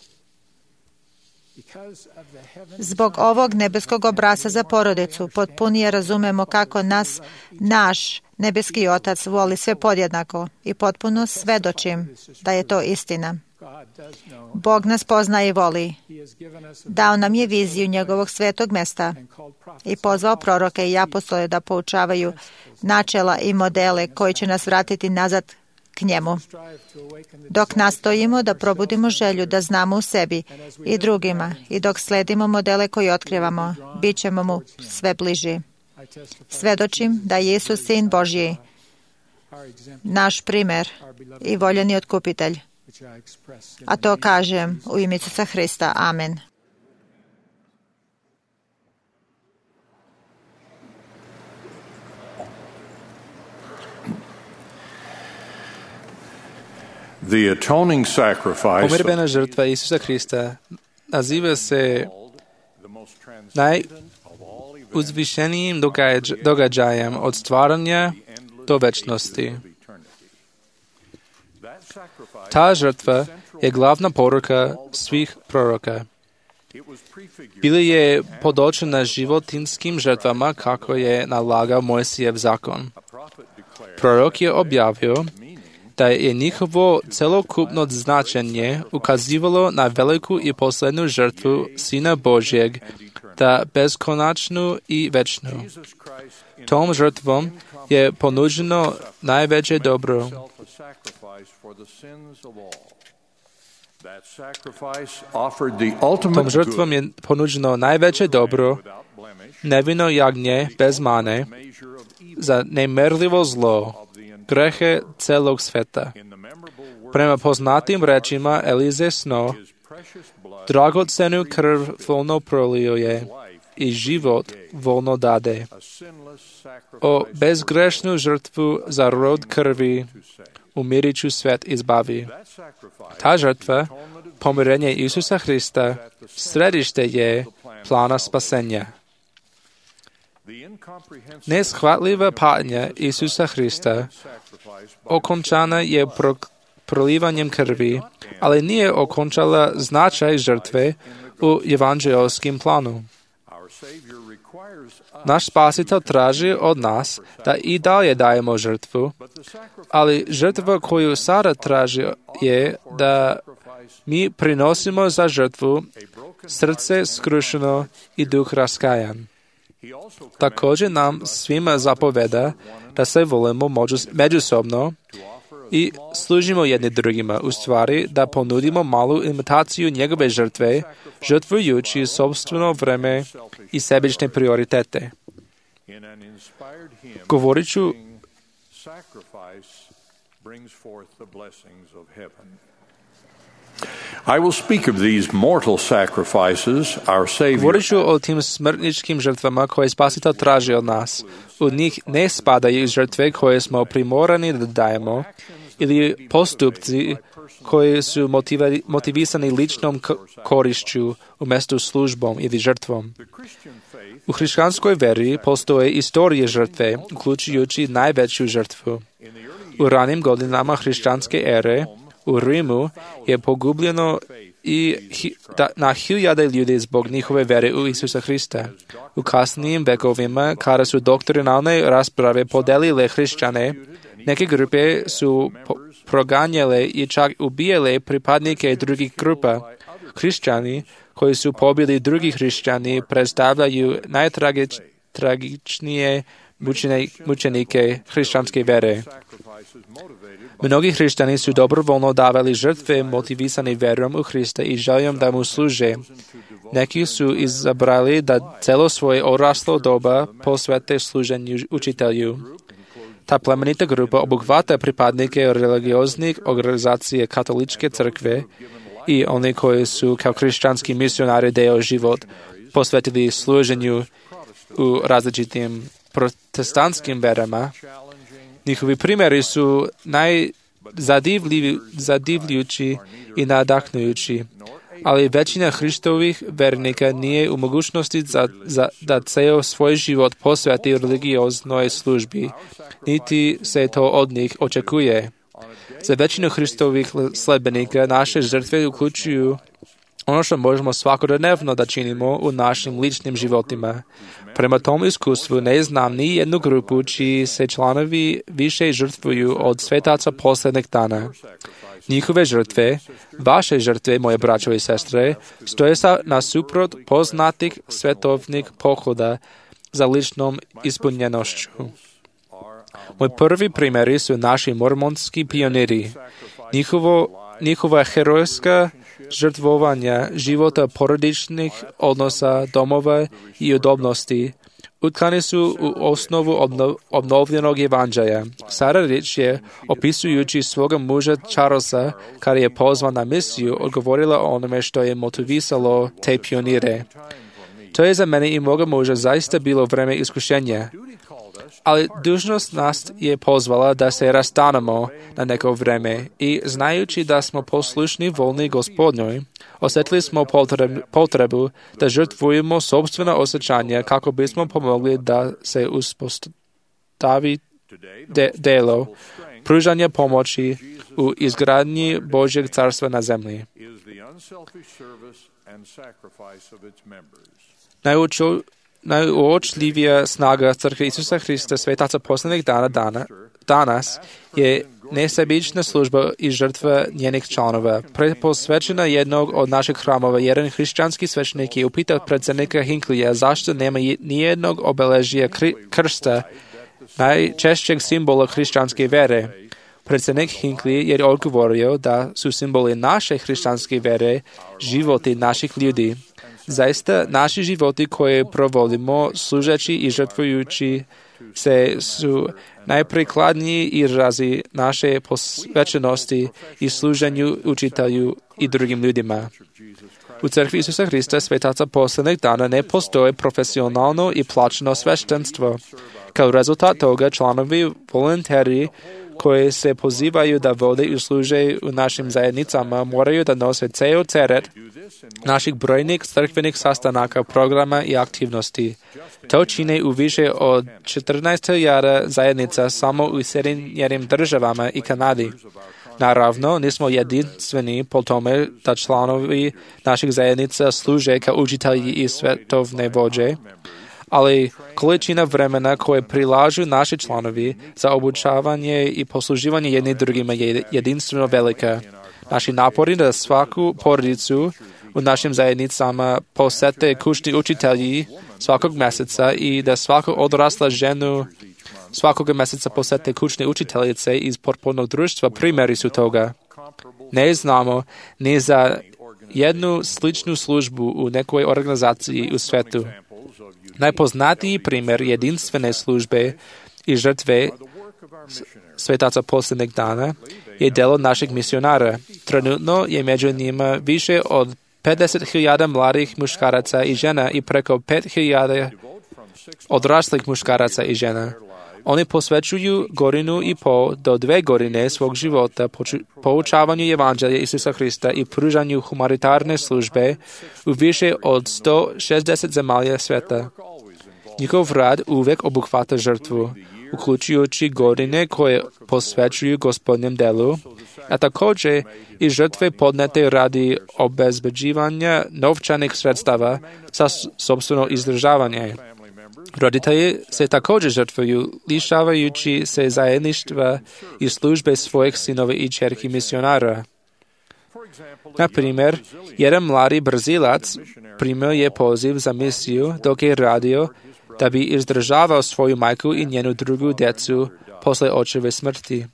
Zbog ovog nebeskog obrasca za porodicu potpunije razumemo kako nas naš nebeski Otac voli sve podjednako i potpuno svedočim da je to istina. Bog nas poznaje i voli. Dao nam je viziju njegovog svetog mesta i pozvao proroke i apostole da poučavaju načela i modele koji će nas vratiti nazad k njemu. Dok nastojimo da probudimo želju da znamo u sebi i drugima i dok sledimo modele koje otkrivamo, bit ćemo mu sve bliži. Svedočim da je Isus Sin Božji, naš primer i voljeni otkupitelj. A to kažem u ime Isusa Hrista. Amen. The atoning sacrifice Pomirbena žrtva Isusa Hrista naziva se najuzvišenijim događ, događajem od stvaranja do večnosti. Ta žrtva je glavna poruka svih proroka. Bila je podočena životinskim žrtvama kako je nalagao Mojsijev zakon. Prorok je objavio da je njihovo celokupno značenje ukazivalo na veliku i poslednju žrtvu Sina Božjeg, da beskonačnu i večnu. Tom žrtvom je ponuđeno najveće dobro. Tom žrtvom je ponuđeno najveće dobro, nevino jagnje bez mane, za nemerljivo zlo, grehe celog sveta. Prema poznatim rečima Elize Sno, dragocenu krv volno prolio je i život volno dade. O bezgrešnu žrtvu za rod krvi umiriću svet izbavi. Ta žrtva, pomirenje Isusa Hrista, središte je plana spasenja. Neshvatljiva patnja Isusa Hrista okončana je pro, prolivanjem krvi, ali nije okončala značaj žrtve u evanđeoskim planu. Naš Spasitelj traži od nas da i dalje dajemo žrtvu, ali žrtva koju sada traži je da mi prinosimo za žrtvu srce skrušeno i duh raskajan. Također nam svima zapoveda da se volimo međusobno i služimo jedni drugima, u stvari da ponudimo malu imitaciju njegove žrtve, žrtvujući sopstveno vreme i sebične prioritete. Govorit ću I will speak of these mortal sacrifices our Savior. Govorit ću o tim smrtničkim žrtvama koje Spasitelj traži od nas. U njih ne spadaju žrtve koje smo primorani da dajemo ili postupci koji su motivi, motivisani ličnom korišću umjesto službom ili žrtvom. U hrišćanskoj veri postoje istorije žrtve, uključujući najveću žrtvu. U ranim godinama hrišćanske ere u Rimu je pogubljeno i hi, da, na hiljade ljudi zbog njihove vere u Isusa Hrista. U kasnijim vekovima, kada su doktrinalne rasprave podelile hrišćane, neke grupe su po, proganjale i čak ubijale pripadnike drugih grupa. Hrišćani koji su pobili drugi hrišćani predstavljaju najtragičnije mučenike hrišćanske vere. Mnogi hrišćani su dobrovoljno davali žrtve motivisani verom u Hrista i željom da mu služe. Neki su izabrali da celo svoje odraslo doba posvete služenju učitelju. Ta plemenita grupa obuhvata pripadnike religioznih organizacije katoličke crkve i oni koji su kao hrišćanski misionari deo život posvetili služenju u različitim protestantskim verama. Njihovi primjeri su najzadivljujući i nadahnujući, ali većina Hristovih vernika nije u mogućnosti za, za, da ceo svoj život posveti religioznoj službi, niti se to od njih očekuje. Za većinu Hristovih sledbenika naše žrtve uključuju ono što možemo svakodnevno da činimo u našim ličnim životima. Prema tom iskustvu ne znam ni jednu grupu čiji se članovi više žrtvuju od svetaca posljednjeg dana. Njihove žrtve, vaše žrtve, moje braćo i sestre, stoje sa nasuprot poznatih svetovnih pohoda za ličnom ispunjenošću. Moji prvi primjeri su naši mormonski pioniri. Njihovo, njihova herojska žrtvovanja života porodičnih odnosa, domova i udobnosti utkani su u osnovu obnov, obnovljenog evanđelja. Sara Rich je, opisujući svoga muža Charlesa, kada je pozvan na misiju, odgovorila o onome što je motivisalo te pionire. To je za mene i moga muža zaista bilo vreme iskušenja. Ali dužnost nas je pozvala da se rastanemo na neko vreme i znajući da smo poslušni volni Gospodnjoj, osjetili smo potrebu da žrtvujemo sopstvena osjećanja kako bismo pomogli da se uspostavi de- delo pružanja pomoći u izgradnji Božjeg carstva na zemlji. Najuču Najuočljivija snaga Crkve Isusa Hrista svetaca posljednjeg dana, dana danas je nesebična služba i žrtva njenih članova. Preposvećena jednog od naših hramova, jedan hrišćanski svećenik je upitao predsjednika Hinckleyja zašto nema nijednog obeležija krsta, najčešćeg simbola hrišćanske vere. Predsjednik Hinckley je odgovorio da su simboli naše hrišćanske vere životi naših ljudi. Zaista, naši životi koje provodimo, služeći i žrtvujući se, su najprikladniji izrazi naše posvećenosti i služenju učitelju i drugim ljudima. U Crkvi Isusa Hrista svetaca posljednjeg dana ne postoje profesionalno i plaćeno sveštenstvo. Kao rezultat toga članovi volonteri koji se pozivaju da vode i služe u našim zajednicama moraju da nose ceo teret naših brojnih crkvenih sastanaka, programa i aktivnosti. To čine u više od četrnaest hiljada zajednica samo u Sjedinjenim državama i Kanadi. Naravno, nismo jedinstveni po tome da članovi naših zajednica služe kao učitelji i svetovne vođe, ali količina vremena koje prilažu naši članovi za obučavanje i posluživanje jedni drugima je jedinstveno velika. Naši napori da svaku porodicu u našim zajednicama posete kućni učitelji svakog mjeseca i da svaku odrasla ženu svakog mjeseca posete kućne učiteljice iz potpornog društva primjeri su toga. Ne znamo ni za jednu sličnu službu u nekoj organizaciji u svetu. Najpoznatiji primjer jedinstvene službe i žrtve svetaca posljednjeg dana je delo naših misionara. Trenutno je među njima više od pedeset hiljada mladih muškaraca i žena i preko pet hiljada odraslih muškaraca i žena. Oni posvećuju godinu i pol do dve godine svog života poučavanju evanđelja Isusa Hrista i pružanju humanitarne službe u više od sto šezdeset zemalja sveta. Njihov rad uvijek obuhvata žrtvu, uključujući godine koje posvećuju Gospodnjem delu, a također i žrtve podnete radi obezbeđivanja novčanih sredstava za sopstveno izdržavanje. Roditelji se također žrtvuju, lišavajući se zajedništva i službe svojih sinova i ćerki misionara. Na primjer, jedan mladi Brazilac primio je poziv za misiju dok je radio da bi izdržavao svoju majku i njenu drugu djecu posle očeve smrti.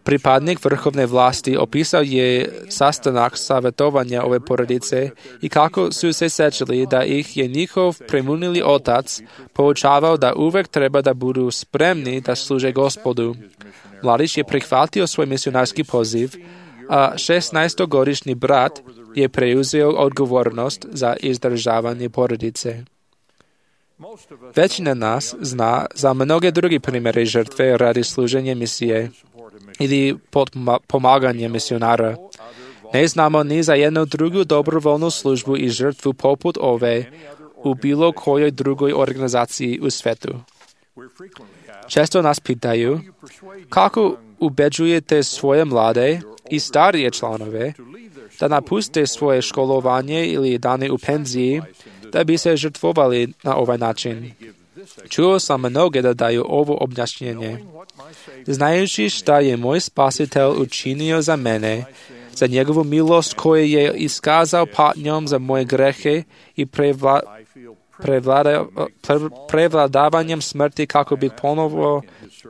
Pripadnik vrhovne vlasti opisao je sastanak savjetovanja ove porodice i kako su se sećali da ih je njihov premunili otac poučavao da uvek treba da budu spremni da služe Gospodu. Mladić je prihvatio svoj misionarski poziv, a šesnaestogodišnji brat je preuzeo odgovornost za izdržavanje porodice. Većina nas zna za mnoge druge primjere žrtve radi služenja misije ili pomaganje misionara. Ne znamo ni za jednu drugu dobrovoljnu službu i žrtvu poput ove u bilo kojoj drugoj organizaciji u svetu. Često nas pitaju kako ubeđujete svoje mlade i starije članove da napuste svoje školovanje ili dane u penziji da bi se žrtvovali na ovaj način. Čuo sam mnoge da daju ovo objašnjenje. Znajući šta je moj spasitelj učinio za mene, za njegovu milost koju je iskazao patnjom za moje grehe i prevla, prevlada, pre, prevladavanjem smrti kako bih ponovo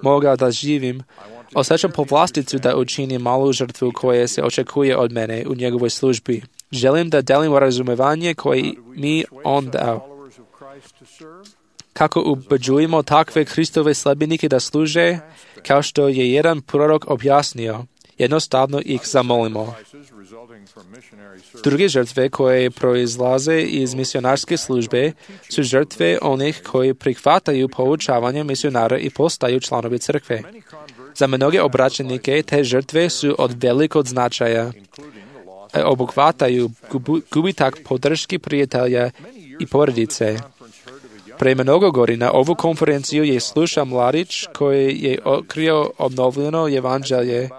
mogao da živim, osjećam povlasticu da učinim malu žrtvu koja se očekuje od mene u njegovoj službi. Želim da delim razumevanje koje mi on dao. Kako ubeđujemo takve Hristove sljedbenike da služe, kao što je jedan prorok objasnio, jednostavno ih zamolimo. Druge žrtve koje proizlaze iz misionarske službe su žrtve onih koji prihvataju poučavanje misionara i postaju članovi crkve. Za mnoge obraćenike te žrtve su od velikog značaja. Obuhvataju gubitak podrške prijatelja i porodice. Pre mnogo godina ovu konferenciju je slušao mladić koji je otkrio obnovljeno evanđelje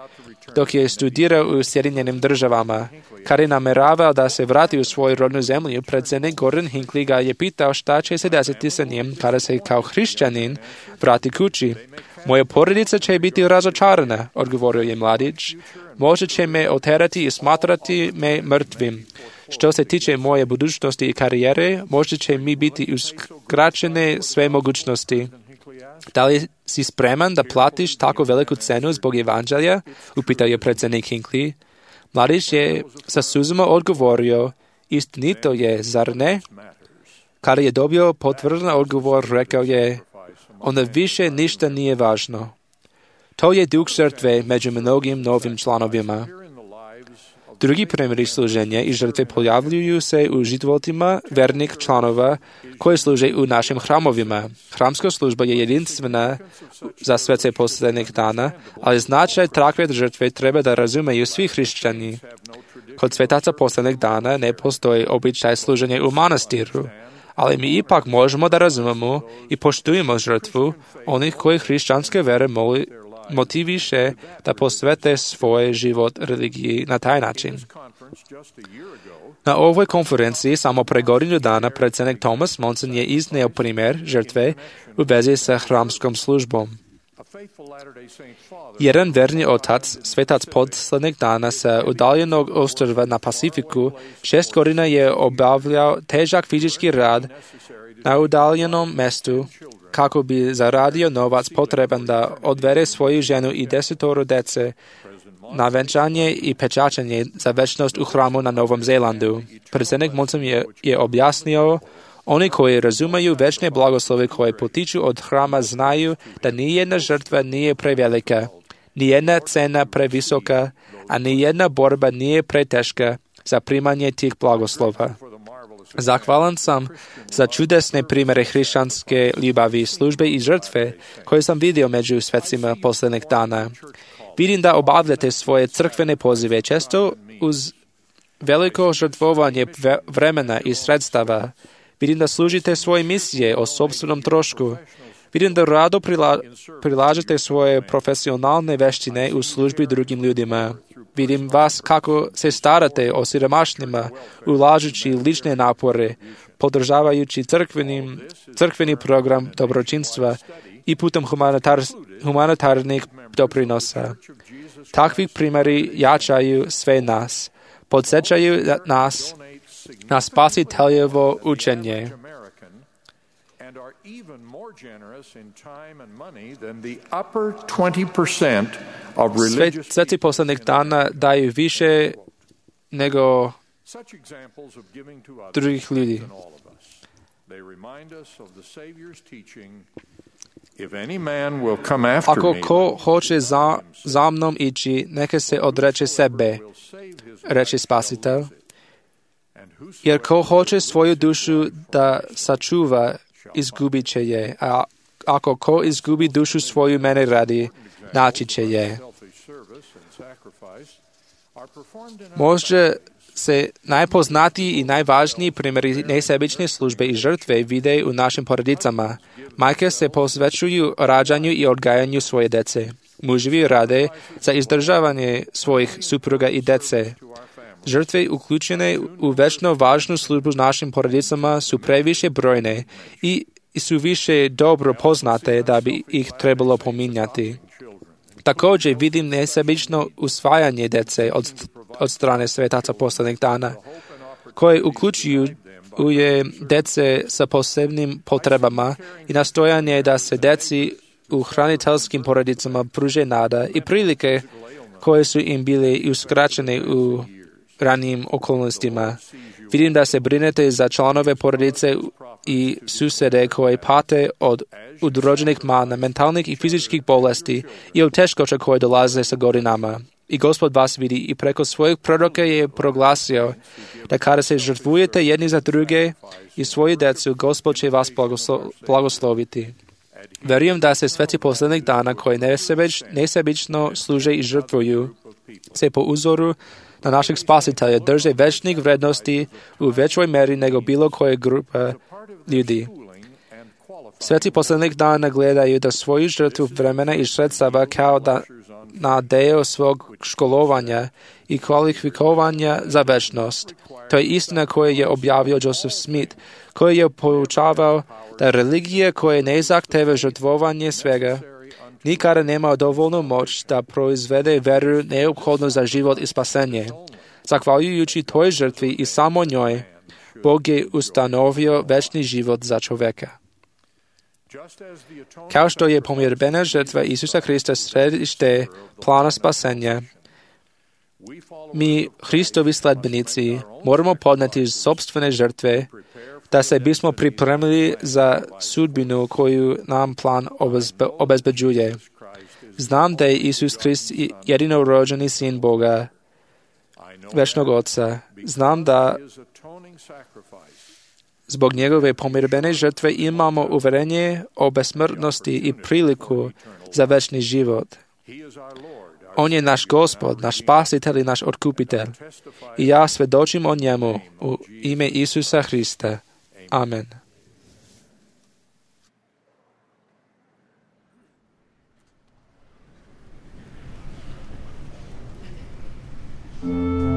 dok je studirao u Sjedinjenim državama. Kad je nameravao da se vrati u svoju rodnu zemlju, predsjednik Gordon Hinckley ga je pitao šta će se desiti sa njim kada se kao hrišćanin vrati kući. Moja porodica će biti razočarana, odgovorio je mladić. Možda će me oterati i smatrati me mrtvim. Što se tiče moje budućnosti i karijere, možda će mi biti uskraćene sve mogućnosti. Da li si spreman da platiš tako veliku cenu zbog evanđelja? Upitao je predsjednik Hinckley. Mladić je sa suzama odgovorio, istinito je, zar ne? Kada je dobio potvrdan odgovor, rekao je, onda više ništa nije važno. To je duh žrtve među mnogim novim članovima. Drugi primjeri služenja i žrtve pojavljuju se u životima vernih članova koji služe u našim hramovima. Hramska služba je jedinstvena za svece posljednjih dana, ali značaj takve žrtve treba da razumeju svi hrišćani. Kod svetaca posljednjih dana ne postoji običaj služenja u manastiru, ali mi ipak možemo da razumemo i poštujemo žrtvu onih koji hrišćanske vere moli motiviše da posvete svoj život religiji na taj način. Na ovoj konferenciji samo pre godinu dana predsjednik Thomas Monson je izneo primjer žrtve u vezi sa hramskom službom. Jedan verni otac, svetac posljednjih dana sa udaljenog ostrva na Pacifiku, šest godina je obavljao težak fizički rad na udaljenom mestu kako bi zaradio novac potreban da odvede svoju ženu i desetoro dece na venčanje i pečačenje za večnost u hramu na Novom Zelandu. Predsjednik Monson je, je objasnio, oni koji razumeju večne blagoslove koje potiču od hrama znaju da nijedna žrtva nije prevelika, nijedna cena previsoka, a nijedna borba nije preteška za primanje tih blagoslova. Zahvalan sam za čudesne primjere hrišćanske ljubavi, službe i žrtve koje sam vidio među svecima posljednjih dana. Vidim da obavljate svoje crkvene pozive često uz veliko žrtvovanje vremena i sredstava. Vidim da služite svoje misije o sopstvenom trošku. Vidim da rado prila, prilažete svoje profesionalne veštine u službi drugim ljudima. Vidim vas kako se starate o siromašnima, ulažući lične napore, podržavajući crkvenim, crkveni program dobročinstva i putem humanitar, humanitarnih doprinosa. Takvi primjeri jačaju sve nas, podsjećaju nas na spasiteljevo učenje. Sveci poslanik dana daju više nego drugih ljudi. Ako ko hoće za, za mnom ići, neka se odreče sebe, reče Spasitelj. Jer ko hoće svoju dušu da sačuva, izgubit će je. A ako ko izgubi dušu svoju mene radi, naći će je. Možda se najpoznatiji i najvažniji primjeri nesebične službe i žrtve vide u našim porodicama. Majke se posvećuju rađanju i odgajanju svoje dece. Muževi rade za izdržavanje svojih supruga i dece. Žrtve uključene u večno važnu službu našim porodicama su previše brojne i su više dobro poznate da bi ih trebalo pominjati. Također vidim nesebično usvajanje dece od, od strane svetaca poslednjih dana, koje uključuju uje dece sa posebnim potrebama i nastojanje da se deci u hraniteljskim porodicama pruže nada i prilike koje su im bile uskraćene u ranijim okolnostima. Vidim da se brinete za članove porodice i susede koje pate od udrođenih mana, mentalnih i fizičkih bolesti i od teškoća koje dolaze sa godinama. I Gospod vas vidi i preko svojeg proroka je proglasio da kada se žrtvujete jedni za druge i svoju decu, Gospod će vas blagoslo- blagosloviti. Verujem da se sveci poslednjih dana koji nesebič, nesebično služe i žrtvuju se po uzoru na našeg Spasitelja drže večnih vrednosti u većoj meri nego bilo koje grupa ljudi. Sveci poslednjih dana gledaju da svoju žrtvu vremena i sredstava kao da na deo svog školovanja i kvalifikovanja za večnost. To je istina koju je objavio Joseph Smith, koji je poučavao da religija koja ne zahteva žrtvovanje svega nikada nema dovoljnu moć da proizvede veru neophodnu za život i spasenje. Zahvaljujući toj žrtvi i samo njoj, Bog je ustanovio večni život za čoveka. Kao što je pomirbena žrtva Isusa Hrista središte plana spasenja, mi, Hristovi sledbenici, moramo podneti sopstvene žrtve da se bismo pripremili za sudbinu koju nam plan obezbe, obezbeđuje. Znam da je Isus Hrist jedinorođeni sin Boga, večnog Oca. Znam da zbog njegove pomirbene žrtve imamo uverenje o besmrtnosti i priliku za večni život. On je naš Gospod, naš Spasitelj i naš Otkupitelj. I ja svedočim o njemu u ime Isusa Hrista. Amen. Share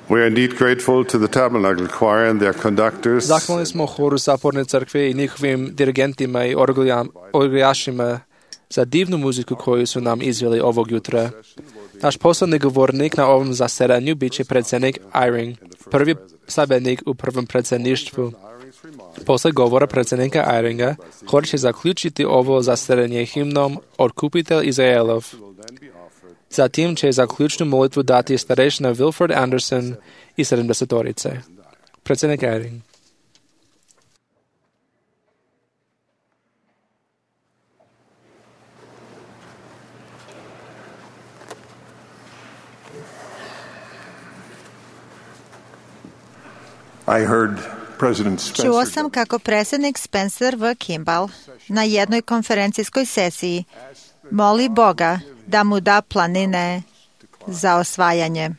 We are indeed grateful to the Tabernacle Choir and their conductors. Zahvalni smo horu Saporne crkve i njihovim dirigentima i orgulja- orguljašima za divnu muziku koju su nam izveli ovog jutra. Naš poslednji govornik na ovom zasedanju bit će predsjednik Eyring, prvi sabednik u prvom predsjedništvu. Posle govora predsjednika Eyringa, hor će zaključiti ovo zasedanje himnom Otkupitelj Izraelov. Zatim će zaključnu molitvu dati starešina Wilford Anderson i sedamdesetorice. Predsjednik Eyring. I heard President Spencer. Čuo sam kako predsjednik Spencer W. Kimball na jednoj konferencijskoj sesiji moli Boga da mu da planine za osvajanje.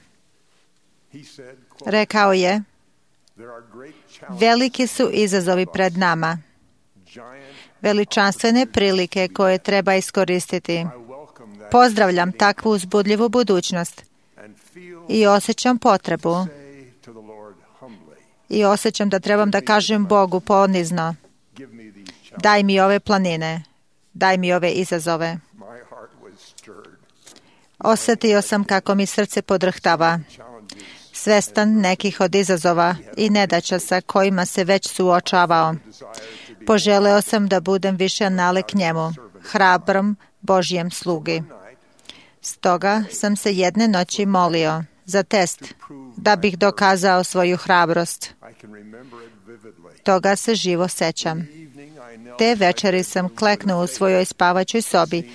Rekao je, veliki su izazovi pred nama, veličanstvene prilike koje treba iskoristiti. Pozdravljam takvu uzbudljivu budućnost i osjećam potrebu i osjećam da trebam da kažem Bogu ponizno, daj mi ove planine, daj mi ove izazove. Osjetio sam kako mi srce podrhtava, svestan nekih od izazova i nedaća sa kojima se već suočavao. Poželeo sam da budem više nalik njemu, hrabrom Božjem slugi. Stoga sam se jedne noći molio za test, da bih dokazao svoju hrabrost. Toga se živo sećam. Te večeri sam kleknuo u svojoj spavaćoj sobi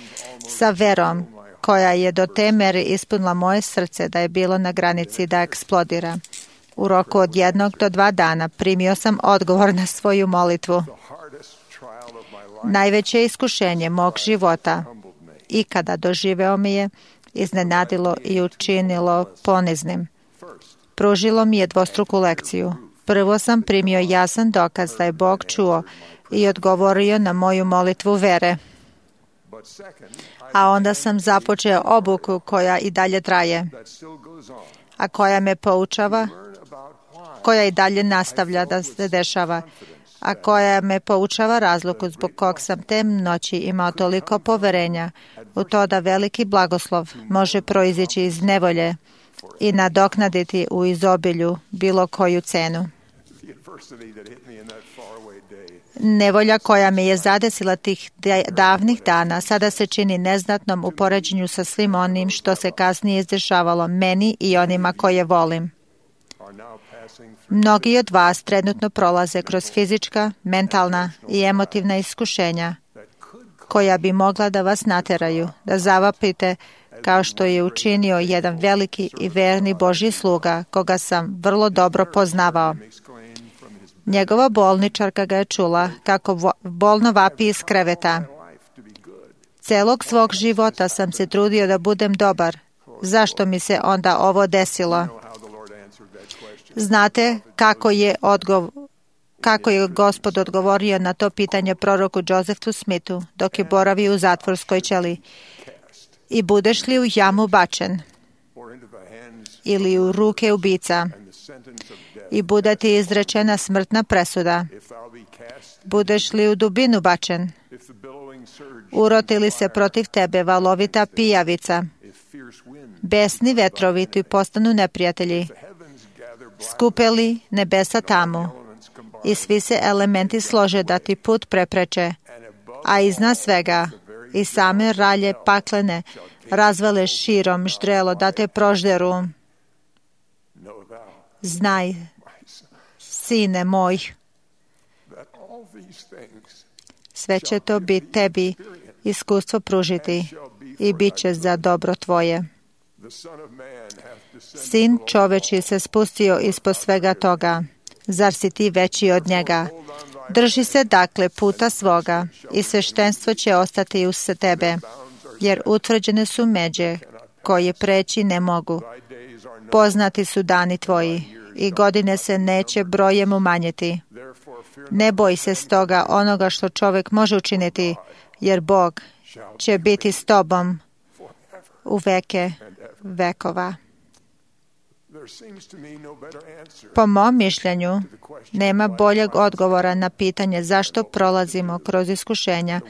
sa verom koja je do te mere ispunila moje srce da je bilo na granici da eksplodira. U roku od jednog do dva dana primio sam odgovor na svoju molitvu. Najveće iskušenje mog života ikada doživeo mi je iznenadilo i učinilo poniznim. Pružilo mi je dvostruku lekciju. Prvo sam primio jasan dokaz da je Bog čuo i odgovorio na moju molitvu vere. A onda sam započeo obuku koja i dalje traje, a koja me poučava, koja i dalje nastavlja da se dešava, a koja me poučava razlogu zbog kog sam te noći imao toliko poverenja u to da veliki blagoslov može proizići iz nevolje i nadoknaditi u izobilju bilo koju cenu. Nevolja koja me je zadesila tih davnih dana sada se čini neznatnom u poređenju sa svim onim što se kasnije izdešavalo meni i onima koje volim. Mnogi od vas trenutno prolaze kroz fizička, mentalna i emotivna iskušenja koja bi mogla da vas nateraju, da zavapite kao što je učinio jedan veliki i verni Božji sluga koga sam vrlo dobro poznavao. Njegova bolničarka ga je čula kako bolno vapi iz kreveta. Celog svog života sam se trudio da budem dobar. Zašto mi se onda ovo desilo? Znate kako je, odgov... kako je Gospod odgovorio na to pitanje proroku Josephu Smithu dok je boravio u zatvorskoj ćeliji? I budeš li u jamu bačen ili u ruke ubica i bude ti izrečena smrtna presuda? Budeš li u dubinu bačen? Uroti li se protiv tebe valovita pijavica? Besni vetrovi ti postanu neprijatelji. Skupe li nebesa tamu i svi se elementi slože da ti put prepreče, a iznad svega i same ralje paklene razvale širom ždrelo da te prožderu. Znaj, sine moj, sve će to biti tebi iskustvo pružiti i bit će za dobro tvoje. Sin čoveči se spustio ispod svega toga. Zar si ti veći od njega? Drži se dakle puta svoga i sveštenstvo će ostati uz tebe, jer utvrđene su međe koje preći ne mogu. Poznati su dani tvoji i godine se neće brojem umanjiti. Ne boj se stoga onoga što čovjek može učiniti, jer Bog će biti s tobom u veke vekova. Po mom mišljenju, nema boljeg odgovora na pitanje zašto prolazimo kroz iskušenja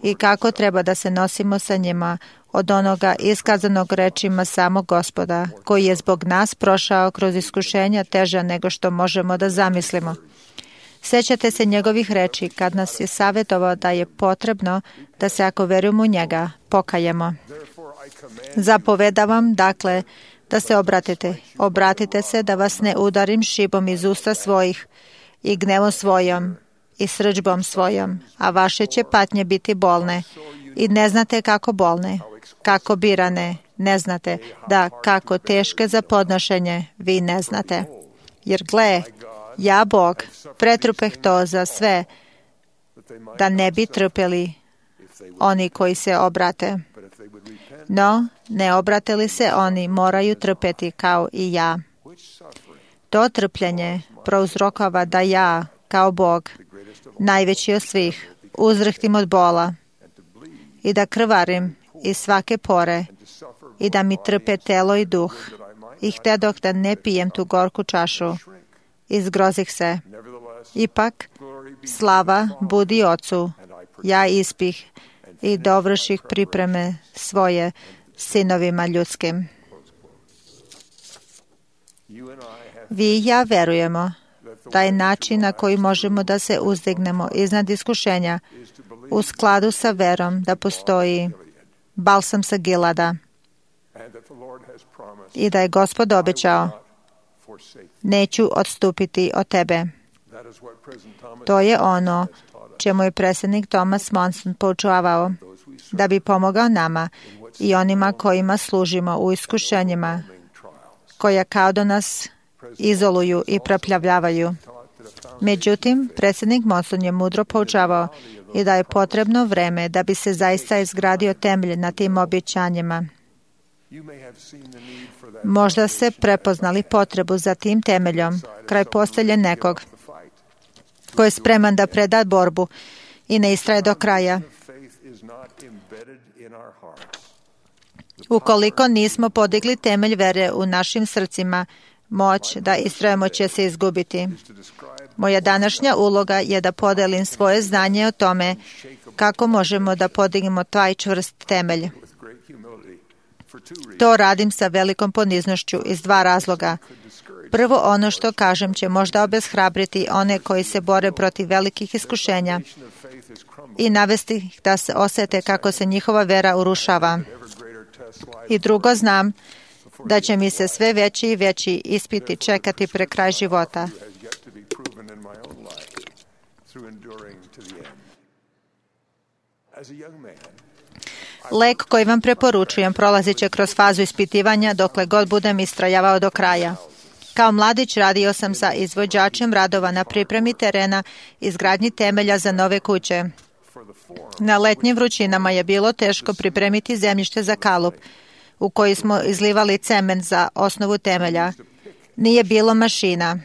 i kako treba da se nosimo sa njima od onoga iskazanog rečima samog Gospoda, koji je zbog nas prošao kroz iskušenja teža nego što možemo da zamislimo. Sjećate se njegovih reči kad nas je savjetovao da je potrebno da se, ako verujemo u njega, pokajemo. Zapovedavam, dakle, da se obratite. Obratite se da vas ne udarim šibom iz usta svojih i gnevom svojom i srdžbom svojom, a vaše će patnje biti bolne i ne znate kako bolne, kako birane, ne znate, da kako teške za podnošenje, vi ne znate. Jer gle, ja, Bog, pretrpeh to za sve, da ne bi trpeli oni koji se obrate. No, ne obrate li se oni, moraju trpeti kao i ja. To trpljenje prouzrokava da ja, kao Bog, najveći od svih, uzrhtim od bola i da krvarim iz svake pore i da mi trpe telo i duh. I htedoh da ne pijem tu gorku čašu. Izgrozih se. Ipak, slava budi Ocu, ja ispih i dovrših pripreme svoje sinovima ljudskim. Vi i ja verujemo da je način na koji možemo da se uzdignemo iznad iskušenja u skladu sa verom da postoji balsam sa Gilada i da je Gospod obećao: neću odstupiti od tebe. To je ono čemu je predsjednik Thomas Monson poučavao, da bi pomogao nama i onima kojima služimo u iskušenjima, koja kao da nas izoluju i preplavljavaju. Međutim, predsjednik Monson je mudro poučavao i da je potrebno vreme da bi se zaista izgradio temelj na tim obećanjima. Možda ste prepoznali potrebu za tim temeljom kraj postelje nekog ko je spreman da preda borbu i ne istraje do kraja. Ukoliko nismo podigli temelj vere u našim srcima, moć da istrajemo će se izgubiti. Moja današnja uloga je da podelim svoje znanje o tome kako možemo da podignemo taj čvrst temelj. To radim sa velikom poniznošću iz dva razloga. Prvo, ono što kažem će možda obeshrabriti one koji se bore protiv velikih iskušenja i navesti ih da se osete kako se njihova vera urušava. I drugo, znam da će mi se sve veći i veći ispiti čekati pre kraj života. Lek koji vam preporučujem prolazit će kroz fazu ispitivanja dokle god budem istrajavao do kraja. Kao mladić radio sam sa izvođačem radova na pripremi terena i izgradnji temelja za nove kuće. Na letnjim vrućinama je bilo teško pripremiti zemljište za kalup, u koji smo izlivali cement za osnovu temelja. Nije bilo mašina.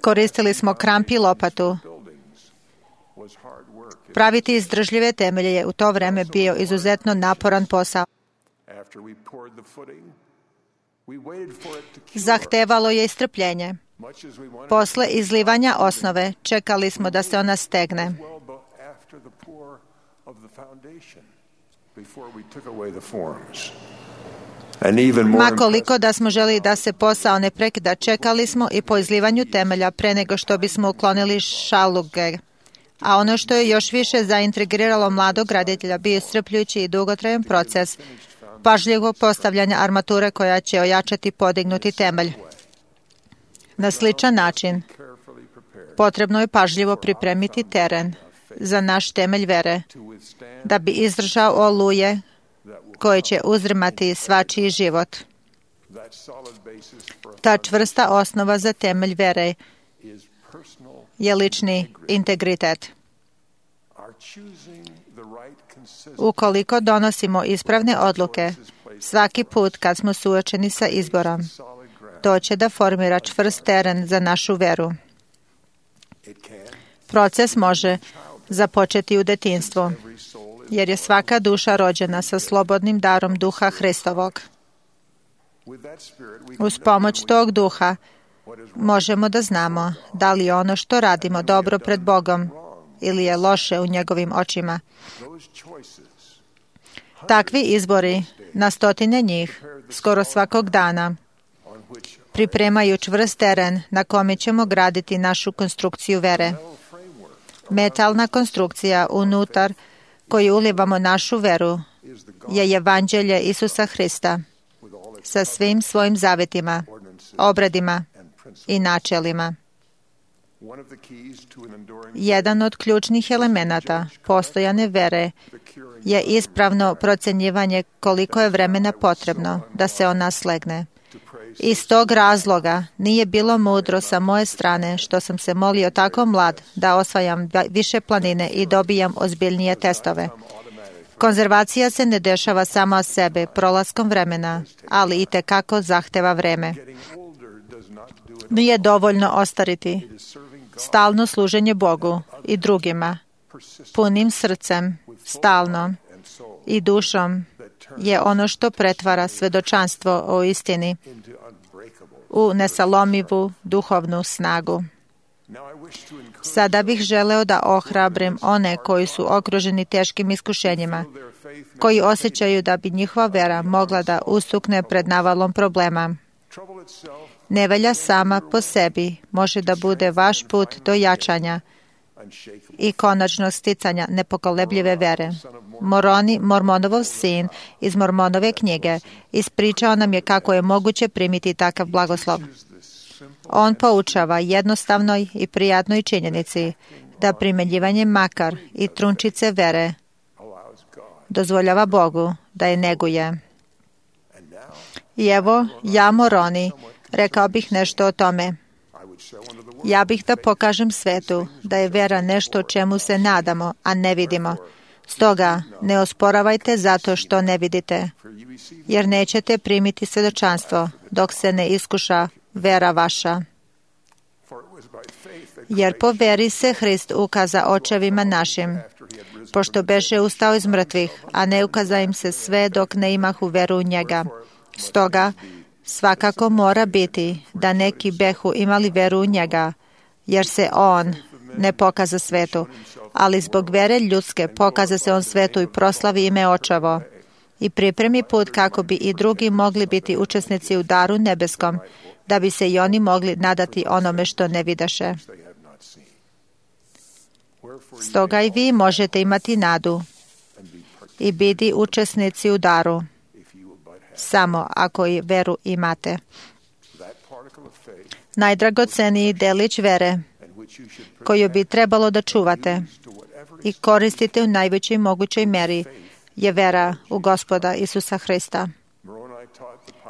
Koristili smo kramp i lopatu. Praviti izdržljive temelje je u to vreme bio izuzetno naporan posao. Zahtevalo je istrpljenje. Posle izlivanja osnove čekali smo da se ona stegne. Makoliko da smo želi da se posao ne prekida, čekali smo i po izlivanju temelja pre nego što bismo uklonili šaluge. A ono što je još više zaintrigiralo mladog graditelja bio iscrpljujući i dugotrajan proces pažljivog postavljanja armature koja će ojačati podignuti temelj. Na sličan način potrebno je pažljivo pripremiti teren za naš temelj vere, da bi izdržao oluje koje će uzdrmati svačiji život. Ta čvrsta osnova za temelj vere je lični integritet. Ukoliko donosimo ispravne odluke, svaki put kad smo suočeni sa izborom, to će da formira čvrst teren za našu veru. Proces može započeti u detinjstvu, jer je svaka duša rođena sa slobodnim darom Duha Hristovog. Uz pomoć tog duha možemo da znamo da li je ono što radimo dobro pred Bogom ili je loše u njegovim očima. Takvi izbori, na stotine njih, skoro svakog dana, pripremaju čvrst teren na kome ćemo graditi našu konstrukciju vere. Metalna konstrukcija unutar koju ulivamo našu veru je evanđelje Isusa Hrista sa svim svojim zavetima, obredima i načelima. Jedan od ključnih elemenata postojane vere je ispravno procenjivanje koliko je vremena potrebno da se ona slegne. Iz tog razloga nije bilo mudro sa moje strane što sam se molio tako mlad da osvajam više planine i dobijam ozbiljnije testove. Konzervacija se ne dešava sama od sebe prolaskom vremena, ali i tekako zahteva vreme. Nije dovoljno ostariti. Stalno služenje Bogu i drugima, punim srcem, stalno i dušom je ono što pretvara svedočanstvo o istini u nesalomivu duhovnu snagu. Sada bih želeo da ohrabrim one koji su okruženi teškim iskušenjima, koji osjećaju da bi njihova vera mogla da ustukne pred navalom problema. Nevolja sama po sebi može da bude vaš put do jačanja i konačnog sticanja nepokolebljive vere. Moroni, Mormonovov sin iz Mormonove knjige, ispričao nam je kako je moguće primiti takav blagoslov. On poučava jednostavnoj i prijatnoj činjenici da primenjivanje makar i trunčice vere dozvoljava Bogu da je neguje. I evo, ja, Moroni, rekao bih nešto o tome. Ja bih da pokažem svetu da je vera nešto čemu se nadamo, a ne vidimo. Stoga, ne osporavajte zato što ne vidite, jer nećete primiti svedočanstvo dok se ne iskuša vera vaša. Jer po veri se Hrist ukaza očevima našim, pošto beše ustao iz mrtvih, a ne ukaza im se sve dok ne imahu veru u njega. Stoga, svakako mora biti da neki behu imali veru u njega, jer se on ne pokaza svetu, ali zbog vere ljudske pokaza se on svetu i proslavi ime očevo i pripremi put kako bi i drugi mogli biti učesnici u daru nebeskom, da bi se i oni mogli nadati onome što ne vidaše. Stoga i vi možete imati nadu i biti učesnici u daru, samo ako i veru imate. Najdragoceniji delić vere koju bi trebalo da čuvate i koristite u najvećoj mogućoj meri je vera u Gospoda Isusa Hrista.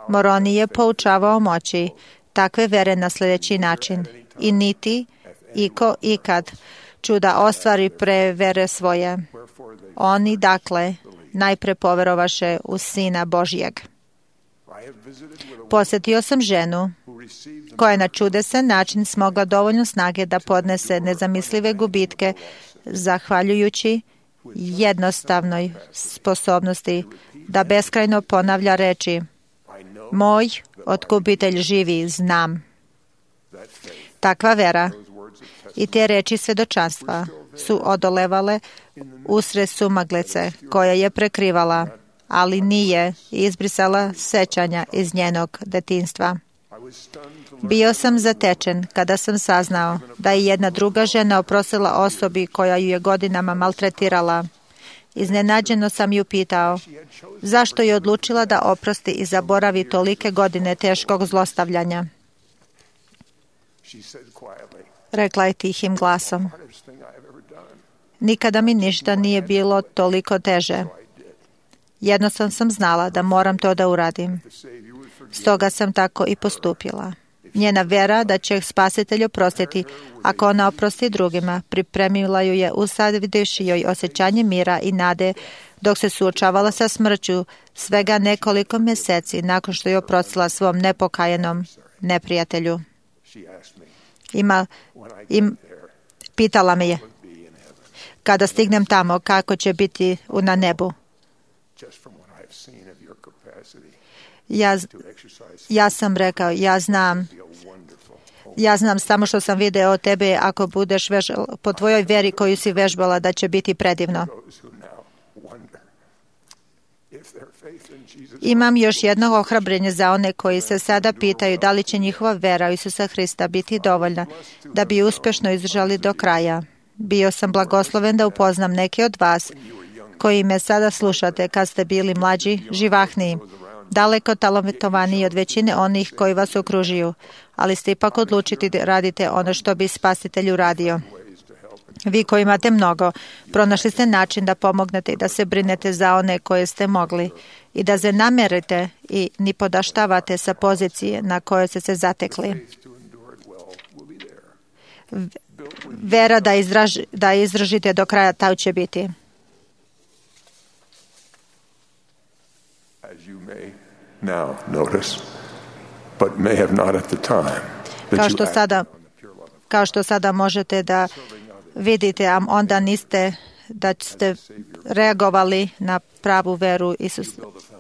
Moroni je poučavao moći takve vere na sljedeći način: i niti iko ikad čuda ostvari pre vere svoje. Oni, dakle, najpre poverovaše u Sina Božijeg. Posjetio sam ženu koja je na čudesan način smogla dovoljno snage da podnese nezamislive gubitke zahvaljujući jednostavnoj sposobnosti da beskrajno ponavlja reči: moj otkupitelj živi, znam. Takva vera i te reči svedočanstva su odolevale usred sumaglice koja je prekrivala, ali nije izbrisala sećanja iz njenog detinjstva. Bio sam zatečen kada sam saznao da je jedna druga žena oprostila osobi koja ju je godinama maltretirala. Iznenađeno sam ju pitao zašto je odlučila da oprosti i zaboravi tolike godine teškog zlostavljanja. Rekla je tihim glasom: nikada mi ništa nije bilo toliko teže. Jednostavno sam znala da moram to da uradim. Stoga sam tako i postupila. Njena vera da će Spasitelj oprostiti ako ona oprosti drugima pripremila ju je usadivši joj osjećanje mira i nade dok se suočavala sa smrću svega nekoliko mjeseci nakon što je oprostila svom nepokajanom neprijatelju. Ima, im, pitala me je kada stignem tamo kako će biti na nebu. Ja, ja sam rekao, ja znam, ja znam samo što sam video od tebe, ako budeš vežbala, po tvojoj veri koju si vežbala, da će biti predivno. Imam još jedno ohrabrenje za one koji se sada pitaju da li će njihova vera u Isusa Hrista biti dovoljna da bi uspešno izdržali do kraja. Bio sam blagosloven da upoznam neke od vas koji me sada slušate kad ste bili mlađi, živahniji, daleko talentovaniji od većine onih koji vas okružuju, ali ste ipak odlučiti da radite ono što bi Spasitelj uradio. Vi koji imate mnogo, pronašli ste način da pomognete i da se brinete za one koje ste mogli i da se namerite i ni podaštavate sa pozicije na kojoj ste se zatekli. Vera da, izraž, da izdržite do kraja, ta će biti. Kao što sada, kao što sada možete da vidite, a onda niste da ste reagovali na pravu veru Isus,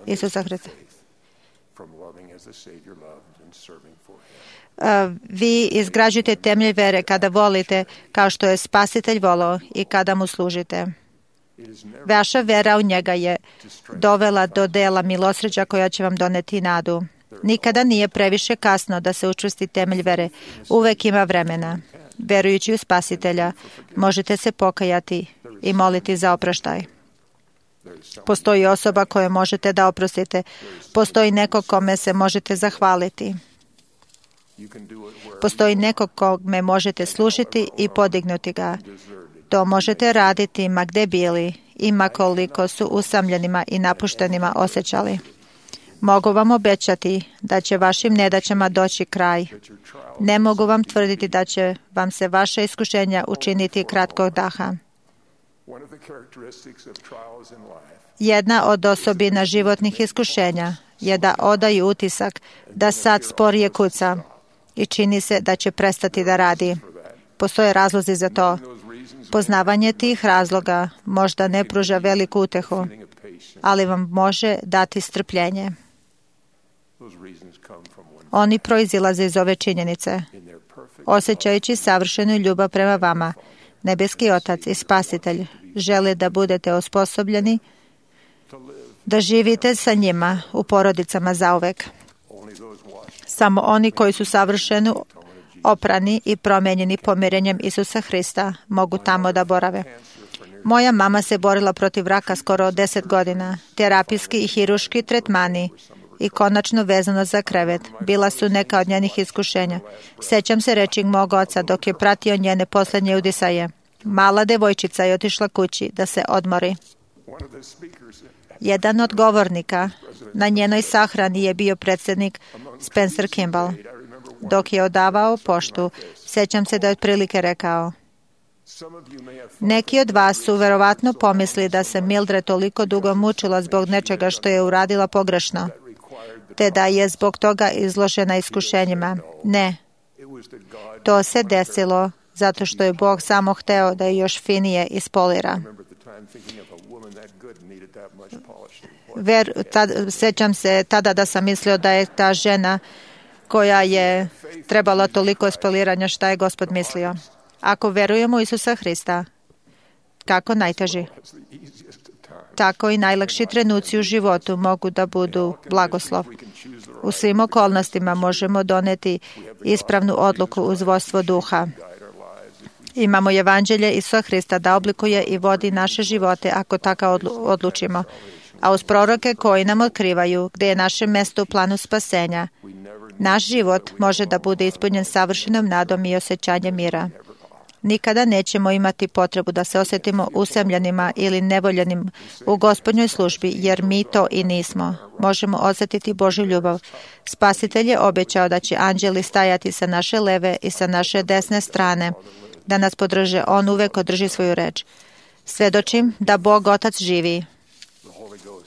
Isusa Hrista. Uh, vi izgrađujete temelj vere kada volite kao što je Spasitelj volao i kada mu služite. Vaša vera u njega je dovela do dela milosrđa koja će vam doneti nadu. Nikada nije previše kasno da se učvrsti temelj vere. Uvek ima vremena. Verujući u Spasitelja, možete se pokajati i moliti za oproštaj. Postoji osoba koju možete da oprostite. Postoji neko kome se možete zahvaliti. Postoji neko kome možete služiti i podignuti ga. To možete raditi ma gde bili i ma koliko su usamljenima i napuštenima osjećali. Mogu vam obećati da će vašim nedaćama doći kraj. Ne mogu vam tvrditi da će vam se vaše iskušenja učiniti kratkog daha. Jedna od osobina životnih iskušenja je da odaju utisak da sad sporije kuca i čini se da će prestati da radi. Postoje razlozi za to. Poznavanje tih razloga možda ne pruža veliku utehu, ali vam može dati strpljenje. Oni proizilaze iz ove činjenice. Osjećajući savršenu ljubav prema vama, Nebeski Otac i Spasitelj žele da budete osposobljeni da živite sa njima u porodicama zauvek. Samo oni koji su savršeno oprani i promenjeni pomirenjem Isusa Hrista mogu tamo da borave. Moja mama se borila protiv raka skoro deset godina. Terapijski i hiruški tretmani i konačno vezano za krevet bila su neka od njenih iskušenja. Sećam se reči mog oca dok je pratio njene poslednje udisaje. Mala devojčica je otišla kući da se odmori. Jedan od govornika na njenoj sahrani je bio predsjednik Spencer Kimball. Dok je odavao poštu, sećam se da je otprilike rekao: neki od vas su verovatno pomislili da se Mildred toliko dugo mučila zbog nečega što je uradila pogrešno, te da je zbog toga izložena iskušenjima. Ne. To se desilo zato što je Bog samo hteo da je još finije ispolira. Ver, tad, sećam se tada da sam mislio da je ta žena koja je trebala toliko ispoliranja, šta je Gospod mislio. Ako verujemo u Isusa Hrista, kako najteži, tako i najlakši trenuci u životu mogu da budu blagoslov. U svim okolnostima možemo doneti ispravnu odluku uz vodstvo duha. Imamo evanđelje Isusa Hrista da oblikuje i vodi naše živote ako tako odlučimo. A uz proroke koji nam otkrivaju gde je naše mesto u planu spasenja, naš život može da bude ispunjen savršenom nadom i osjećanjem mira. Nikada nećemo imati potrebu da se osjetimo usamljenima ili nevoljenim u Gospodnjoj službi, jer mi to i nismo. Možemo osjetiti Božju ljubav. Spasitelj je obećao da će anđeli stajati sa naše leve i sa naše desne strane, da nas podrže. On uvek održi svoju reč. Svedočim da Bog Otac živi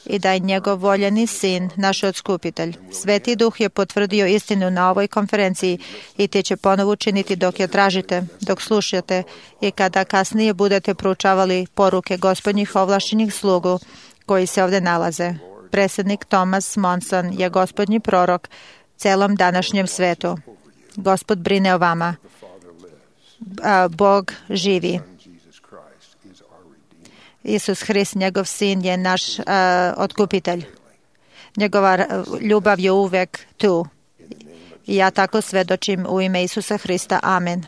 i da je njegov voljeni sin, naš otkupitelj. Sveti Duh je potvrdio istinu na ovoj konferenciji i te će ponovo učiniti dok je tražite, dok slušate i kada kasnije budete proučavali poruke Gospodnjih ovlašćenih slugu koji se ovde nalaze. Predsjednik Thomas Monson je gospodnji prorok celom današnjem svetu. Gospod brine o vama. Bog živi. Isus Hrist, njegov sin, je naš uh, otkupitelj. Njegova ljubav je uvek tu. I ja tako svedočim u ime Isusa Hrista. Amen.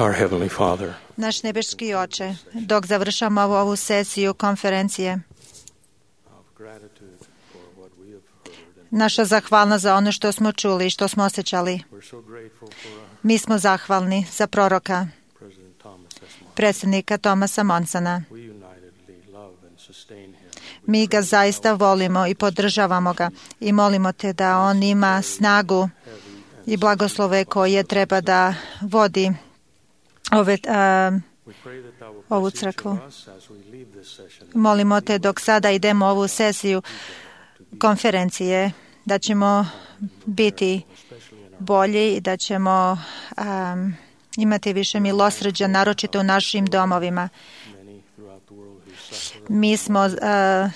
Our Heavenly Father, Naš nebeški Oče, dok završamo ovu sesiju konferencije, naša zahvalnost za ono što smo čuli i što smo osjećali. Mi smo zahvalni za proroka, predsjednika Thomasa Monsona. Mi ga zaista volimo i podržavamo ga i molimo te da on ima snagu i blagoslove koje treba da vodi ove, a, ovu crkvu. Molimo te dok sada idemo ovu sesiju konferencije da ćemo biti bolji i da ćemo um, imati više milosrđa, naročito u našim domovima. Mi smo, uh,